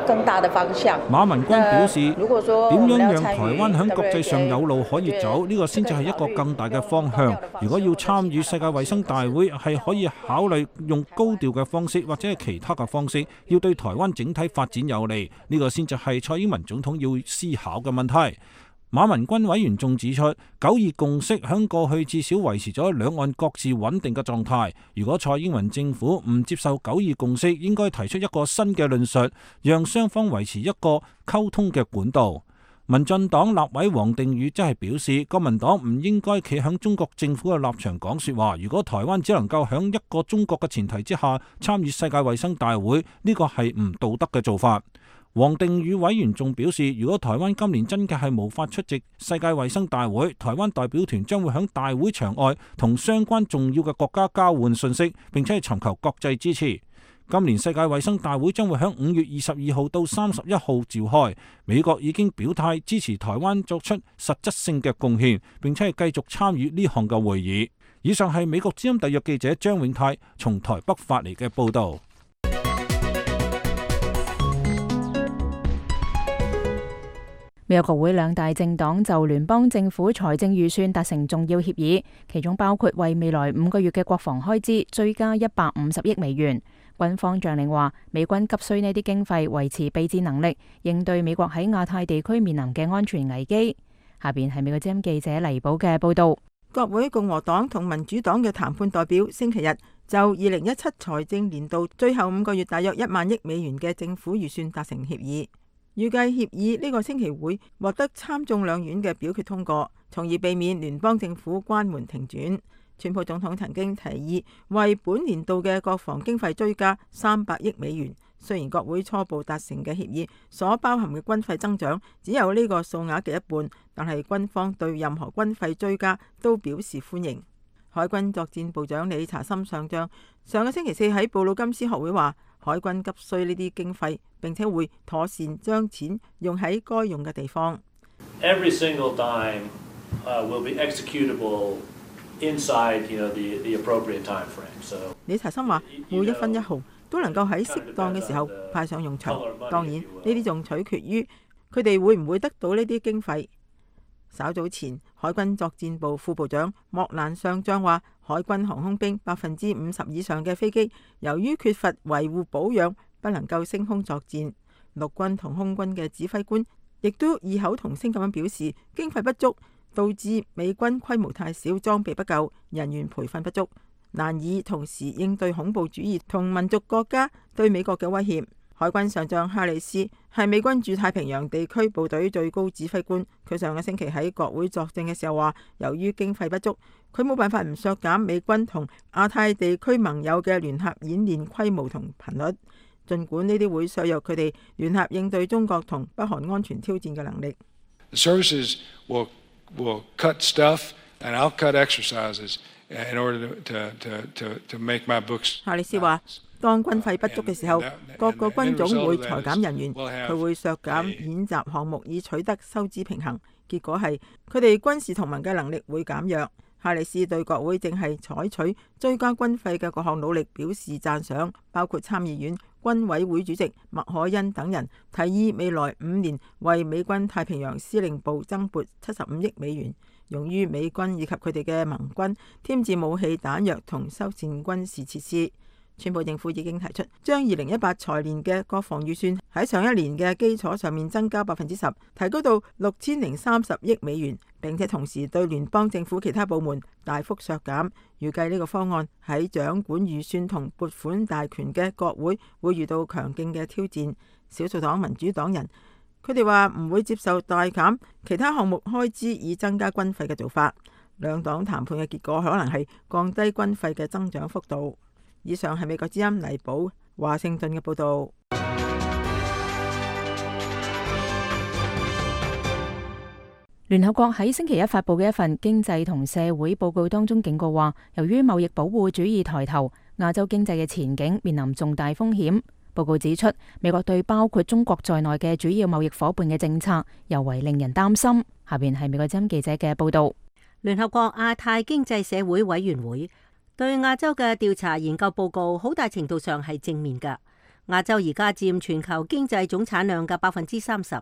更大的方向。馬文君表示，如果說點樣讓台灣喺國際上有路可以走，呢個先至係一個更大嘅方向。如果要參與世界衛生大會，係可以考慮用高調嘅方式，或者係其他嘅方式，要對台灣整體發展有利。呢個先至係蔡英文總統要思考嘅問題。馬文君委員仲指出，九二共識響過去至少維持咗兩岸各自穩定嘅狀態。如果蔡英文政府唔接受九二共識，應該提出一個新嘅論述，讓雙方維持一個溝通嘅管道。民進黨立委王定宇則係表示，國民黨唔應該企響中國政府嘅立場講說話。如果台灣只能夠響一個中國嘅前提之下參與世界衛生大會，呢個係唔道德嘅做法。王定宇委員仲表示，如果台灣今年真嘅係無法出席世界衛生大會，台灣代表團將會響大會場外同相關重要嘅國家交換信息，並且係尋求國際支持。今年世界衛生大會將會響五月二十二號到三十一號召開，美國已經表態支持台灣作出實質性嘅貢獻，並且係繼續參與呢項嘅會議。以上係美國之音特約記者張永泰從台北發嚟嘅報道。美國國會兩大政黨就聯邦政府財政預算達成重要協議，其中包括為未來五個月嘅國防開支追加一百五十億美元。軍方將領話，美軍急需呢啲經費維持備戰能力，應對美國喺亞太地區面臨嘅安全危機。下邊係美國之音記者黎寶嘅報道。國會共和黨同民主黨嘅談判代表星期日就二零一七財政年度最後五個月大約一萬億美元嘅政府預算達成協議，預計協議呢個星期會獲得參眾兩院嘅表決通過，從而避免聯邦政府關門停轉。川普總統曾經提議為本年度嘅國防經費追加三百億美元，雖然國會初步達成嘅協議所包含嘅軍費增長只有呢個數額嘅一半，但係軍方對任何軍費追加都表示歡迎。海軍作戰部長理查森上將上個星期四喺布魯金斯學會話，海軍急需呢啲經費，並且會妥善將錢用喺該用嘅地方。Every single dime, uh, will be executable inside, you know, the, the appropriate time frame. So, 理查森話，每一分一毫都能夠喺適當嘅時候派上用場。當然，呢啲仲取決於佢哋會唔會得到呢啲經費。稍早前，海軍作戰部副部長莫蘭上將話，海軍航空兵百分之五十以上嘅飛機，由於缺乏維護保養，不能夠升空作戰。陸軍同空軍嘅指揮官亦都異口同聲咁樣表示，經費不足導致美軍規模太小，裝備不夠，人員培訓不足，難以同時應對恐怖主義同民族國家對美國嘅威脅。海軍上將哈里斯係美軍駐太平洋地區部隊最高指揮官，佢上個星期喺國會作證嘅時候話，由於經費不足，佢冇辦法唔削減美軍同亞太地區盟友嘅聯合演練規模同頻率，儘管呢啲會削弱佢哋聯合應對中國同北韓安全挑戰嘅能力。The services will will cut stuff and I'll cut exercises in order to to to to make my books. 哈里斯話，當軍費不足嘅時候，各個軍種會裁減人員，佢會削減演習項目以取得收支平衡。結果係佢哋軍事同盟嘅能力會減弱。哈里斯對國會正係採取追加軍費嘅各項努力表示讚賞，包括參議院軍委會主席麥凱恩等人提議未來五年為美軍太平洋司令部增撥七十五億美元，用於美軍以及佢哋嘅盟軍添置武器彈藥同修繕軍事設施。川普政府已經提出將二零一八財年嘅國防預算喺上一年嘅基礎上面增加百分之十，提高到六千零三十億美元，並且同時對聯邦政府其他部門大幅削減。預計呢個方案喺掌管預算同撥款大權嘅國會會遇到強勁嘅挑戰。少數黨民主黨人佢哋話唔會接受大減其他項目開支以增加軍費嘅做法。兩黨談判嘅結果可能係降低軍費嘅增長幅度。以上係美國之音黎寶華盛頓嘅報道。聯合國喺星期一發佈嘅一份經濟同社會報告當中警告話，由於貿易保護主義抬頭，亞洲經濟嘅前景面臨重大風險。報告指出，美國對包括中國在內嘅主要貿易夥伴嘅政策尤為令人擔心。下邊係美國之音記者嘅報道。聯合國亞太經濟社會委員會對亞洲嘅調查研究報告好大程度上係正面㗎。亞洲而家佔全球經濟總產量嘅百分之三十。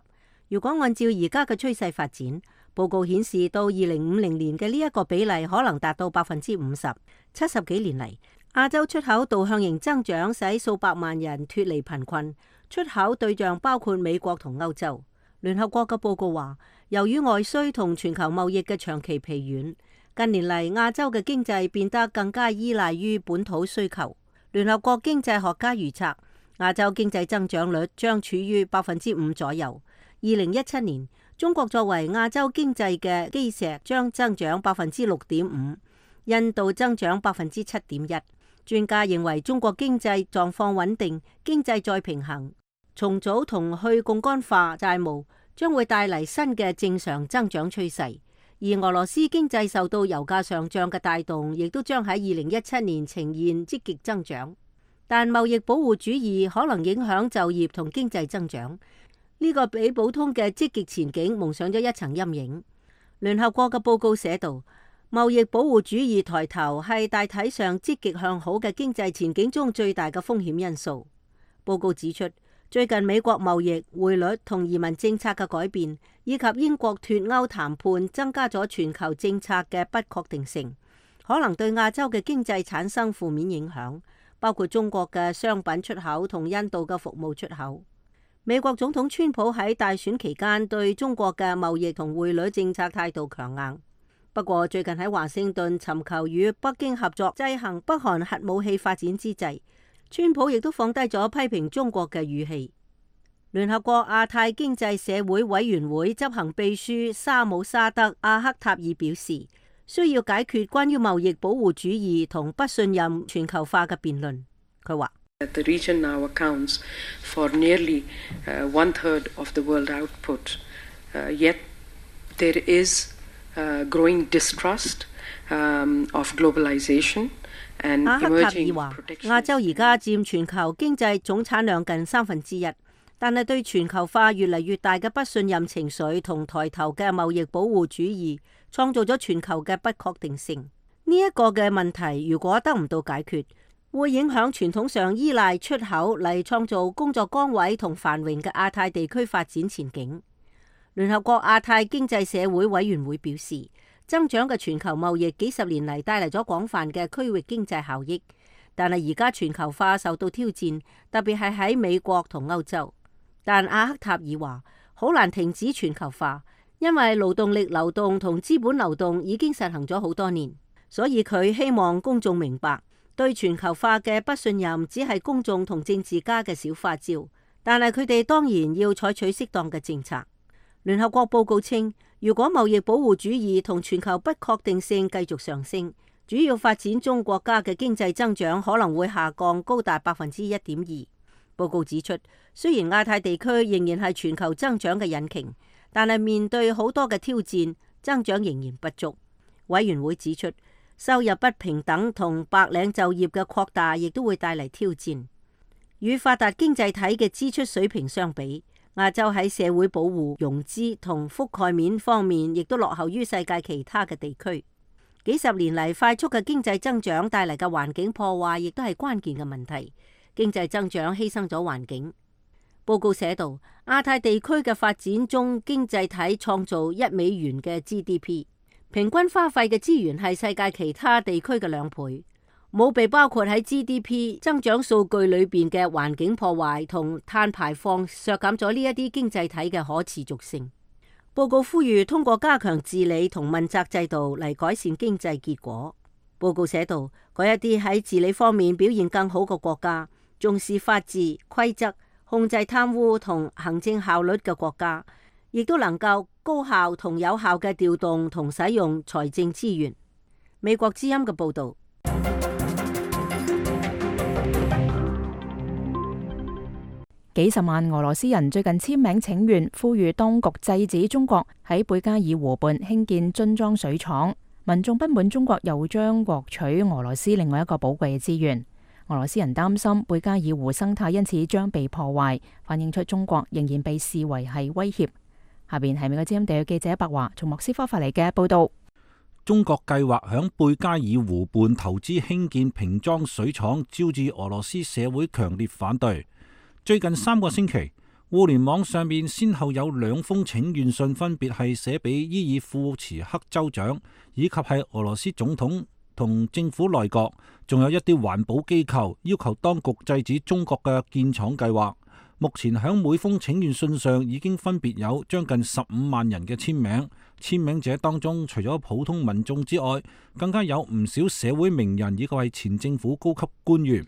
如果按照而家嘅趨勢發展，報告顯示到二零五零年嘅呢一個比例可能達到百分之五十。七十幾年嚟，亞洲出口導向型增長使數百萬人脫離貧困，出口對象包括美國同歐洲。聯合國嘅報告話，由於外需同全球貿易嘅長期疲軟，近年嚟亞洲嘅經濟變得更加依賴於本土需求。聯合國經濟學家預測，亞洲經濟增長率將處於百分之五左右。二零一七年，中國作為亞洲經濟嘅基石，將增長百分之六點五，印度增長百分之七點一。專家認為，中國經濟狀況穩定，經濟再平衡，重組同去槓桿化債務將會帶嚟新嘅正常增長趨勢。而俄羅斯經濟受到油價上漲嘅帶動，亦都將喺二零一七年呈現積極增長。但貿易保護主義可能影響就業同經濟增長，呢個俾普通嘅積極前景蒙上咗一層陰影。聯合國嘅報告寫道，貿易保護主義抬頭係大體上積極向好嘅經濟前景中最大嘅風險因素。報告指出，最近美國貿易、匯率同移民政策嘅改變，以及英國脫歐談判，增加咗全球政策嘅不確定性，可能對亞洲嘅經濟產生負面影響，包括中國嘅商品出口同印度嘅服務出口。美國總統川普喺大選期間對中國嘅貿易同匯率政策態度強硬。不過最近喺華盛頓尋求與北京合作制衡北韓核武器發展之際，川普亦都放低咗批評中國嘅語氣。聯合國亞太經濟社會委員會執行秘書沙姆沙德阿克塔爾表示，需要解決關於貿易保護主義同不信任全球化嘅辯論。佢話：The region now accounts for nearly one third of the world output, yet there is growing distrust of globalization and emerging protectionism. 阿克塔爾話：亞洲而家佔全球經濟總產量近三分之一。但係對全球化越嚟越大嘅不信任情緒同抬頭嘅貿易保護主義，創造咗全球嘅不確定性。呢一個嘅問題如果得唔到解決，會影響傳統上依賴出口嚟創造工作崗位同繁榮嘅亞太地區發展前景。聯合國亞太經濟社會委員會表示，增長嘅全球貿易幾十年嚟帶嚟咗廣泛嘅區域經濟效益，但係而家全球化受到挑戰，特別係喺美國同歐洲。但阿克塔爾話好難停止全球化，因為勞動力流動同資本流動已經實行咗好多年，所以佢希望公眾明白，對全球化嘅不信任只係公眾同政治家嘅小花招，但係佢哋當然要採取適當嘅政策。聯合國報告稱，如果貿易保護主義同全球不確定性繼續上升，主要發展中國家嘅經濟增長可能會下降高達百分之一點二。報告指出，雖然亞太地區仍然係全球增長嘅引擎，但係面對好多嘅挑戰，增長仍然不足。委員會指出，收入不平等同白領就業嘅擴大，亦都會帶嚟挑戰。與發達經濟體嘅支出水平相比，亞洲喺社會保護、融資同覆蓋面方面，亦都落後於世界其他嘅地區。幾十年嚟快速嘅經濟增長帶嚟嘅環境破壞，亦都係關鍵嘅問題。經濟增長犧牲咗環境。報告寫道，亞太地區嘅發展中經濟體創造一美元嘅 G D P， 平均花費嘅資源係世界其他地區嘅兩倍，冇被包括喺 G D P 增長數據裏邊嘅環境破壞同碳排放，削減咗呢一啲經濟體嘅可持續性。報告呼籲通過加強治理同問責制度嚟改善經濟結果。報告寫道，嗰一啲喺治理方面表現更好嘅國家，重視法治、規則、控制貪污同行政效率嘅國家，亦都能夠高效同有效嘅調動同使用財政資源。美國之音嘅報導。幾十萬俄羅斯人最近簽名請願，呼籲當局制止中國喺貝加爾湖畔興建樽裝水廠。民眾不滿中國又將獲取俄羅斯另外一個寶貴嘅資源。俄羅斯人擔心貝加爾湖生態因此將被破壞，反映出中國仍然被視為係威脅。下邊係美國之音地區記者白華從莫斯科發嚟嘅報道。中國計劃響貝加爾湖畔投資興建瓶裝水廠，招致俄羅斯社會強烈反對。最近三個星期，互聯網上面先後有兩封請願信，分別係寫俾伊爾庫茨克州長，以及係俄羅斯總統同政府內閣，仲有一啲環保機構要求當局制止中國嘅建廠計劃。目前響每封請願信上已經分別有將近十五萬人嘅簽名，簽名者當中除咗普通民眾之外，更加有唔少社會名人以及係前政府高級官員。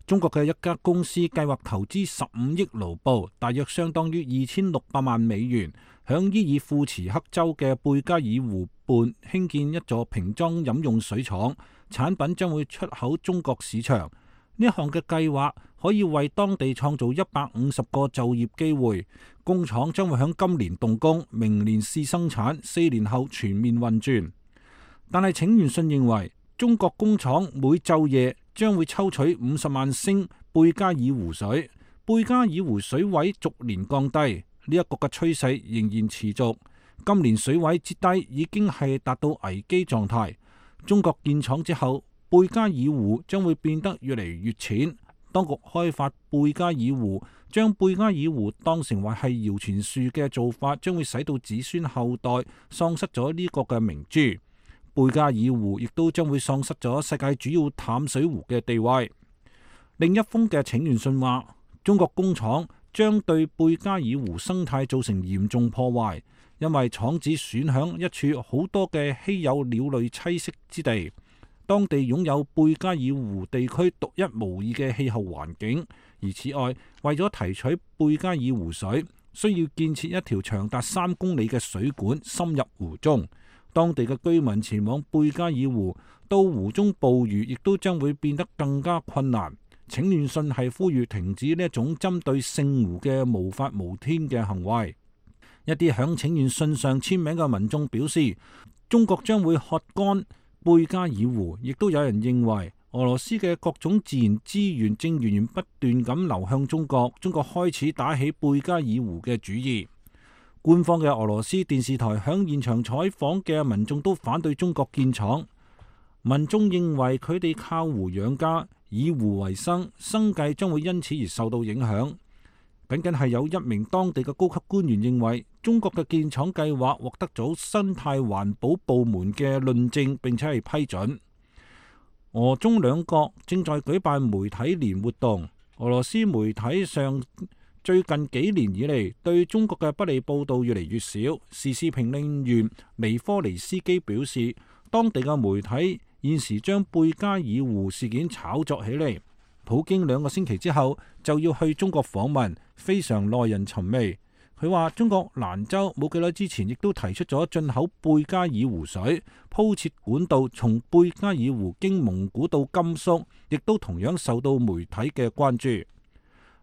中國嘅一家公司計劃投資十五億盧布，大約相當於二千六百萬美元，響伊爾庫茨克州嘅貝加爾湖畔興建一座瓶裝飲用水廠，產品將會出口中國市場。呢一項嘅計劃可以為當地創造一百五十個就業機會。工廠將會響今年動工，明年試生產，四年後全面運轉。但係請願信認為，中國工廠每晝夜將會抽取五十萬升貝加爾湖水，貝加爾湖水位逐年降低，呢一個嘅趨勢仍然持續。今年水位之低已經係達到危機狀態。中國建廠之後，貝加爾湖將會變得越嚟越淺。當局開發貝加爾湖，將貝加爾湖當成為係謠傳樹嘅做法，將會使到子孫後代喪失咗呢個嘅明珠。貝加爾湖亦都將會喪失咗世界主要淡水湖嘅地位。另一封嘅請願信話，中國工廠將對貝加爾湖生態造成嚴重破壞，因為廠址損響一處好多嘅稀有鳥類棲息之地。當地擁有貝加爾湖地區獨一無二嘅氣候環境，而此外，為咗提取貝加爾湖水，需要建設一條長達三公里嘅水管深入湖中。當地嘅居民前往貝加爾湖到湖中捕魚，亦都將會變得更加困難。請願信係呼籲停止呢一種針對聖湖嘅無法無天嘅行為。一啲響請願信上簽名嘅民眾表示，中國將會喝乾貝加爾湖，亦都有人認為俄羅斯嘅各種自然資源正源源不斷咁流向中國，中國開始打起貝加爾湖嘅主意。官方嘅俄羅斯電視台響現場採訪嘅民眾都反對中國建廠，民眾認為佢哋靠湖養家，以湖為生，生計將會因此而受到影響。僅僅係有一名當地嘅高級官員認為，中國嘅建廠計劃獲得咗生態環保部門嘅論證，並且係批准。俄中兩國正在舉辦媒體年活動，俄羅斯媒體上最近幾年以嚟對中國嘅不利報導越嚟越少。時事評論員尼科尼斯基表示，當地嘅媒體現時將貝加爾湖事件炒作起嚟。普京兩個星期之後就要去中國訪問，非常耐人尋味。佢話中國蘭州冇幾耐之前亦都提出咗進口貝加爾湖水，鋪設管道從貝加爾湖經蒙古到甘肅，亦都同樣受到媒體嘅關注。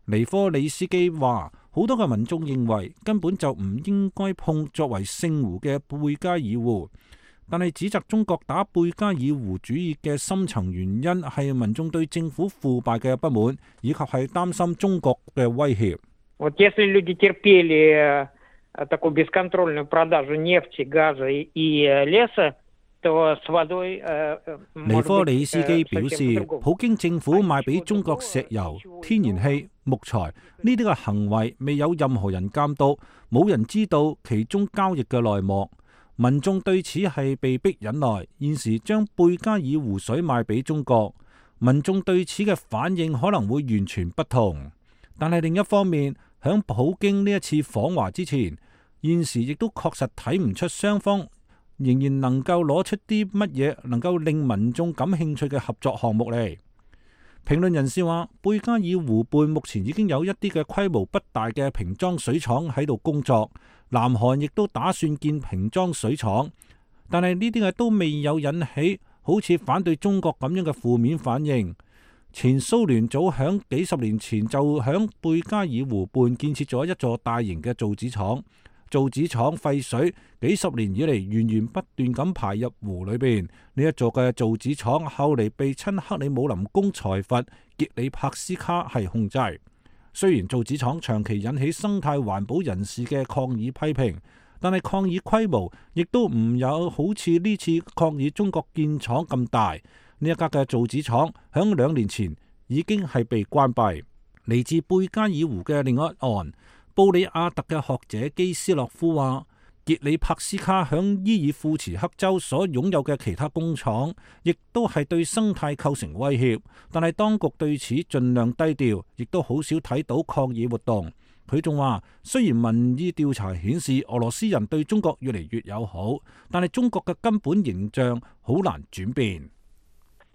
尼科里斯基話，好多嘅民眾認為根本就唔應該碰作為聖湖嘅貝加爾湖，但係指責中國打貝加爾湖主義嘅深層原因係民眾對政府腐敗嘅不滿，以及係擔心中國嘅威脅。尼科里斯基表示，普京政府賣俾中國石油、天然氣、木材呢啲嘅行為未有任何人監督，冇人知道其中交易嘅內幕。民眾對此係被逼忍耐。現時將貝加爾湖水賣俾中國，民眾對此嘅反應可能會完全不同。但係另一方面，響普京呢一次訪華之前，現時亦都確實睇唔出雙方仍然能夠攞出啲乜嘢能夠令民眾感興趣嘅合作項目嚟。評論人士話，貝加爾湖畔目前已經有一啲嘅規模不大嘅瓶裝水廠喺度工作，南韓亦都打算建瓶裝水廠，但係呢啲嘅都未有引起好似反對中國咁樣嘅負面反應。前蘇聯早響幾十年前就響貝加爾湖畔建設咗一座大型嘅造紙廠，造紙廠廢水幾十年以嚟源源不斷咁排入湖裏邊。呢一座嘅造紙廠後嚟被親克里姆林宮財閥傑里帕斯卡係控制。雖然造紙廠長期引起生態環保人士嘅抗議批評，但係抗議規模亦都唔有好似呢次抗議中國建廠咁大。呢一家嘅造紙廠響兩年前已經係被關閉。嚟自貝加爾湖嘅另一岸，布里亞特嘅學者基斯洛夫話，傑里帕斯卡響伊爾庫茨克州所擁有嘅其他工廠，亦都係對生態構成威脅，但係當局對此盡量低調，亦都好少睇到抗議活動。佢仲話，雖然民意調查顯示俄羅斯人對中國越嚟越友好，但係中國嘅根本形象好難轉變。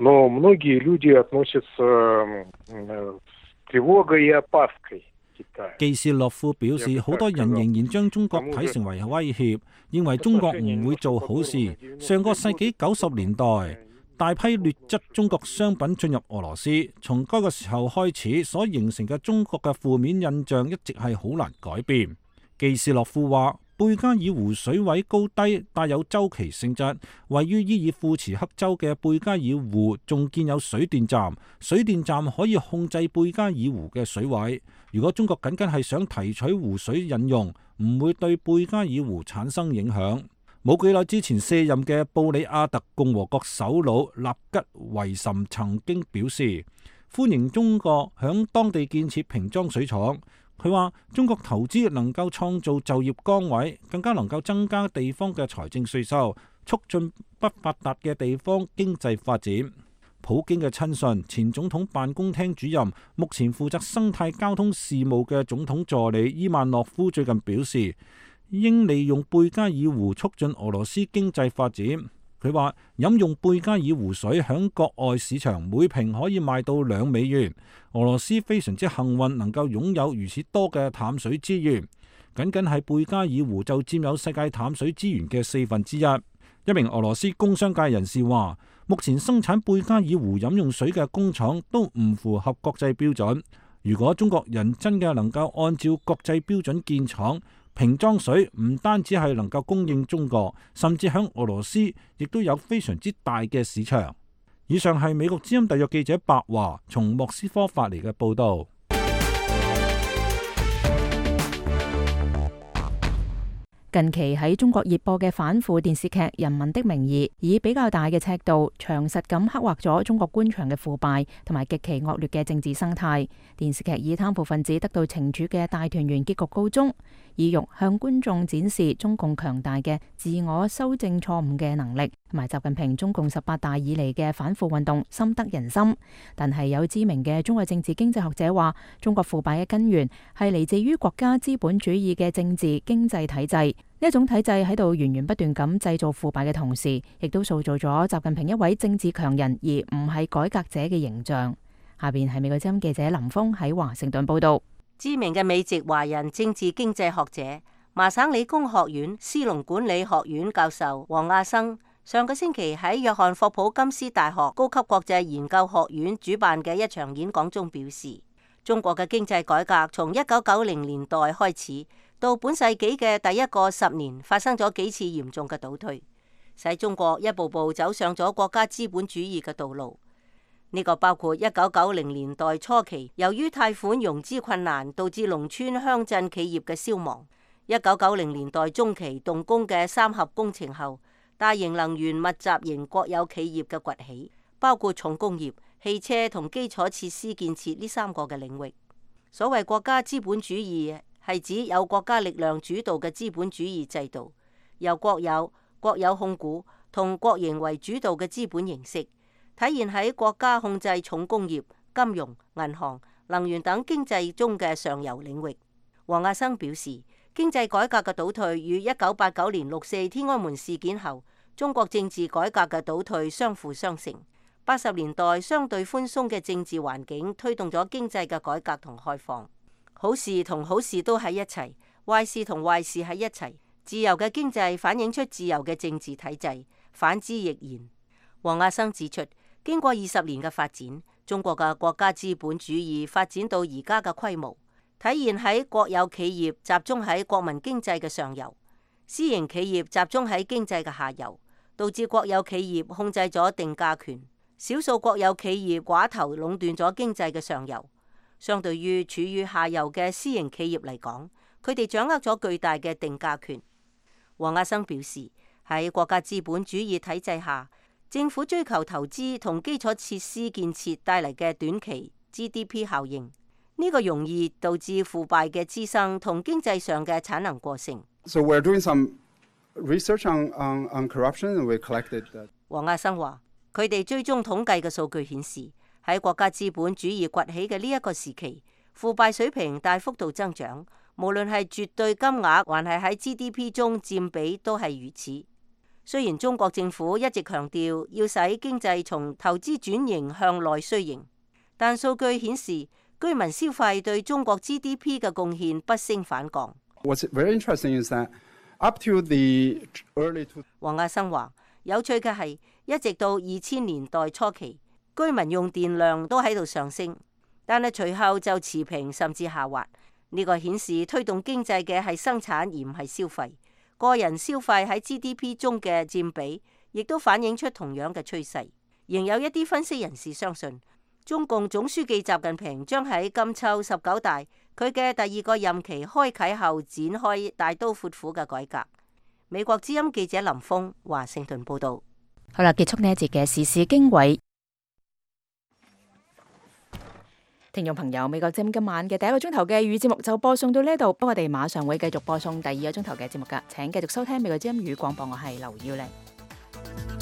Но многие люди относятся с тревогой и опаской. 基斯洛夫表示，好多人仍然將中國睇成為威脅，認為中國唔會做好事。上個世紀九十年代，大批劣質中國商品進入俄羅斯，從嗰個時候開始所形成嘅中國嘅負面印象一直係好難改變。基斯洛夫話，貝加爾湖水位高低帶有周期性質，位於伊爾庫茨克州嘅貝加爾湖仲建有水電站，水電站可以控制貝加爾湖嘅水位。如果中國僅僅係想提取湖水飲用，唔會對貝加爾湖產生影響。冇幾耐之前卸任嘅布里亞特共和國首腦納吉維什曾經表示，歡迎中國響當地建設瓶裝水廠。佢話中國投資能夠創造就業崗位，更加能夠增加地方嘅財政稅收，促進不發達嘅地方經濟發展。普京嘅親信、前總統辦公廳主任、目前負責生態交通事務嘅總統助理伊萬諾夫最近表示，應利用貝加爾湖促進俄羅斯經濟發展。佢話飲用貝加爾湖水響國外市場每瓶可以賣到兩美元。俄羅斯非常之幸運能夠擁有如此多嘅淡水資源，僅僅係貝加爾湖就佔有世界淡水資源嘅四分之一。一名俄羅斯工商界人士話，目前生產貝加爾湖飲用水嘅工廠都唔符合國際標準。如果中國人真嘅能夠按照國際標準建廠，瓶裝水唔單止係能夠供應中國，甚至響俄羅斯亦都有非常之大嘅市場。以上係美國之音特約記者白華從莫斯科發嚟嘅報道。近期喺中國熱播嘅反腐電視劇《人民的名義》，以比較大嘅尺度，詳實咁刻畫咗中國官場嘅腐敗同埋極其惡劣嘅政治生態。電視劇以貪腐分子得到懲處嘅大團圓結局告終，意欲向觀眾展示中共強大嘅自我修正錯誤嘅能力，同埋習近平中共十八大以嚟嘅反腐運動深得人心。但係有知名嘅中國政治經濟學者話，中國腐敗嘅根源係嚟自於國家資本主義嘅政治經濟體制。呢一種體制喺度源源不斷咁製造腐敗嘅同時，亦都塑造咗習近平一位政治強人而唔係改革者嘅形象。下邊係美國之音記者林峰喺華盛頓報道。知名嘅美籍華人政治經濟學者、麻省理工學院斯隆管理學院教授王亞生，上個星期喺約翰霍普金斯大學高級國際研究學院主辦嘅一場演講中表示，中國嘅經濟改革從一九九零年代開始，到本世紀嘅第一個十年，發生咗幾次嚴重嘅倒退，使中國一步步走上咗國家資本主義嘅道路。呢個包括一九九零年代初期，由於貸款融資困難，導致農村鄉鎮企業嘅消亡；一九九零年代中期動工嘅三峽工程後，大型能源密集型國有企業嘅崛起，包括重工業、汽車同基礎設施建設呢三個嘅領域。所謂國家資本主義，係指有國家力量主導嘅資本主義制度，由國有、國有控股同國營為主導嘅資本形式，體現喺國家控制重工業、金融、銀行、能源等經濟中嘅上游領域。王亞生表示，經濟改革嘅倒退與一九八九年六四天安門事件後中國政治改革嘅倒退相輔相成。八十年代相對寬鬆嘅政治環境推動咗經濟嘅改革同開放。好事同好事都喺一齊，壞事同壞事喺一齊。自由嘅經濟反映出自由嘅政治體制，反之亦然。王亞生指出，經過二十年嘅發展，中國嘅國家資本主義發展到而家嘅規模，體現喺國有企業集中喺國民經濟嘅上游，私營企業集中喺經濟嘅下游，導致國有企業控制咗定價權，少數國有企業寡頭壟斷咗經濟嘅上游。相對於處於下游嘅私營企業嚟講，佢哋掌握咗巨大嘅定價權。王亞生表示，喺國家資本主義體制下，政府追求投資同基礎設施建設帶嚟嘅短期 G D P 效應，呢個容易導致腐敗嘅滋生同經濟上嘅產能過剩。So we're doing some research on, on, on corruption and we collected that. 王亞生話，佢哋追蹤統計嘅數據顯示，喺國家資本主義崛起嘅呢一個時期，腐敗水平大幅度增長，無論係絕對金額還係喺 G D P 中佔比都係如此。雖然中國政府一直強調要使經濟從投資轉型向內需型，但數據顯示居民消費對中國 G D P 嘅貢獻不升反降。What's very interesting is that up to the early two... 王亞生話，有趣嘅係，一直到二千年代初期，居民用電量都喺度上升，但係隨後就持平甚至下滑。呢個顯示推動經濟嘅係生產而唔係消費。個人消費喺 G D P 中嘅佔比，亦都反映出同樣嘅趨勢。仍有一啲分析人士相信，中共總書記習近平將喺今秋十九大佢嘅第二個任期開啟後，展開大刀闊斧嘅改革。美國之音記者林峰華盛頓報道。好啦，結束呢一節嘅時事經緯。聽眾朋友，美國之音今晚嘅第一個鐘頭嘅語節目就播送到呢度，我哋馬上會繼續播送第二個鐘頭嘅節目噶，請繼續收聽美國之音語廣播，我係劉耀玲。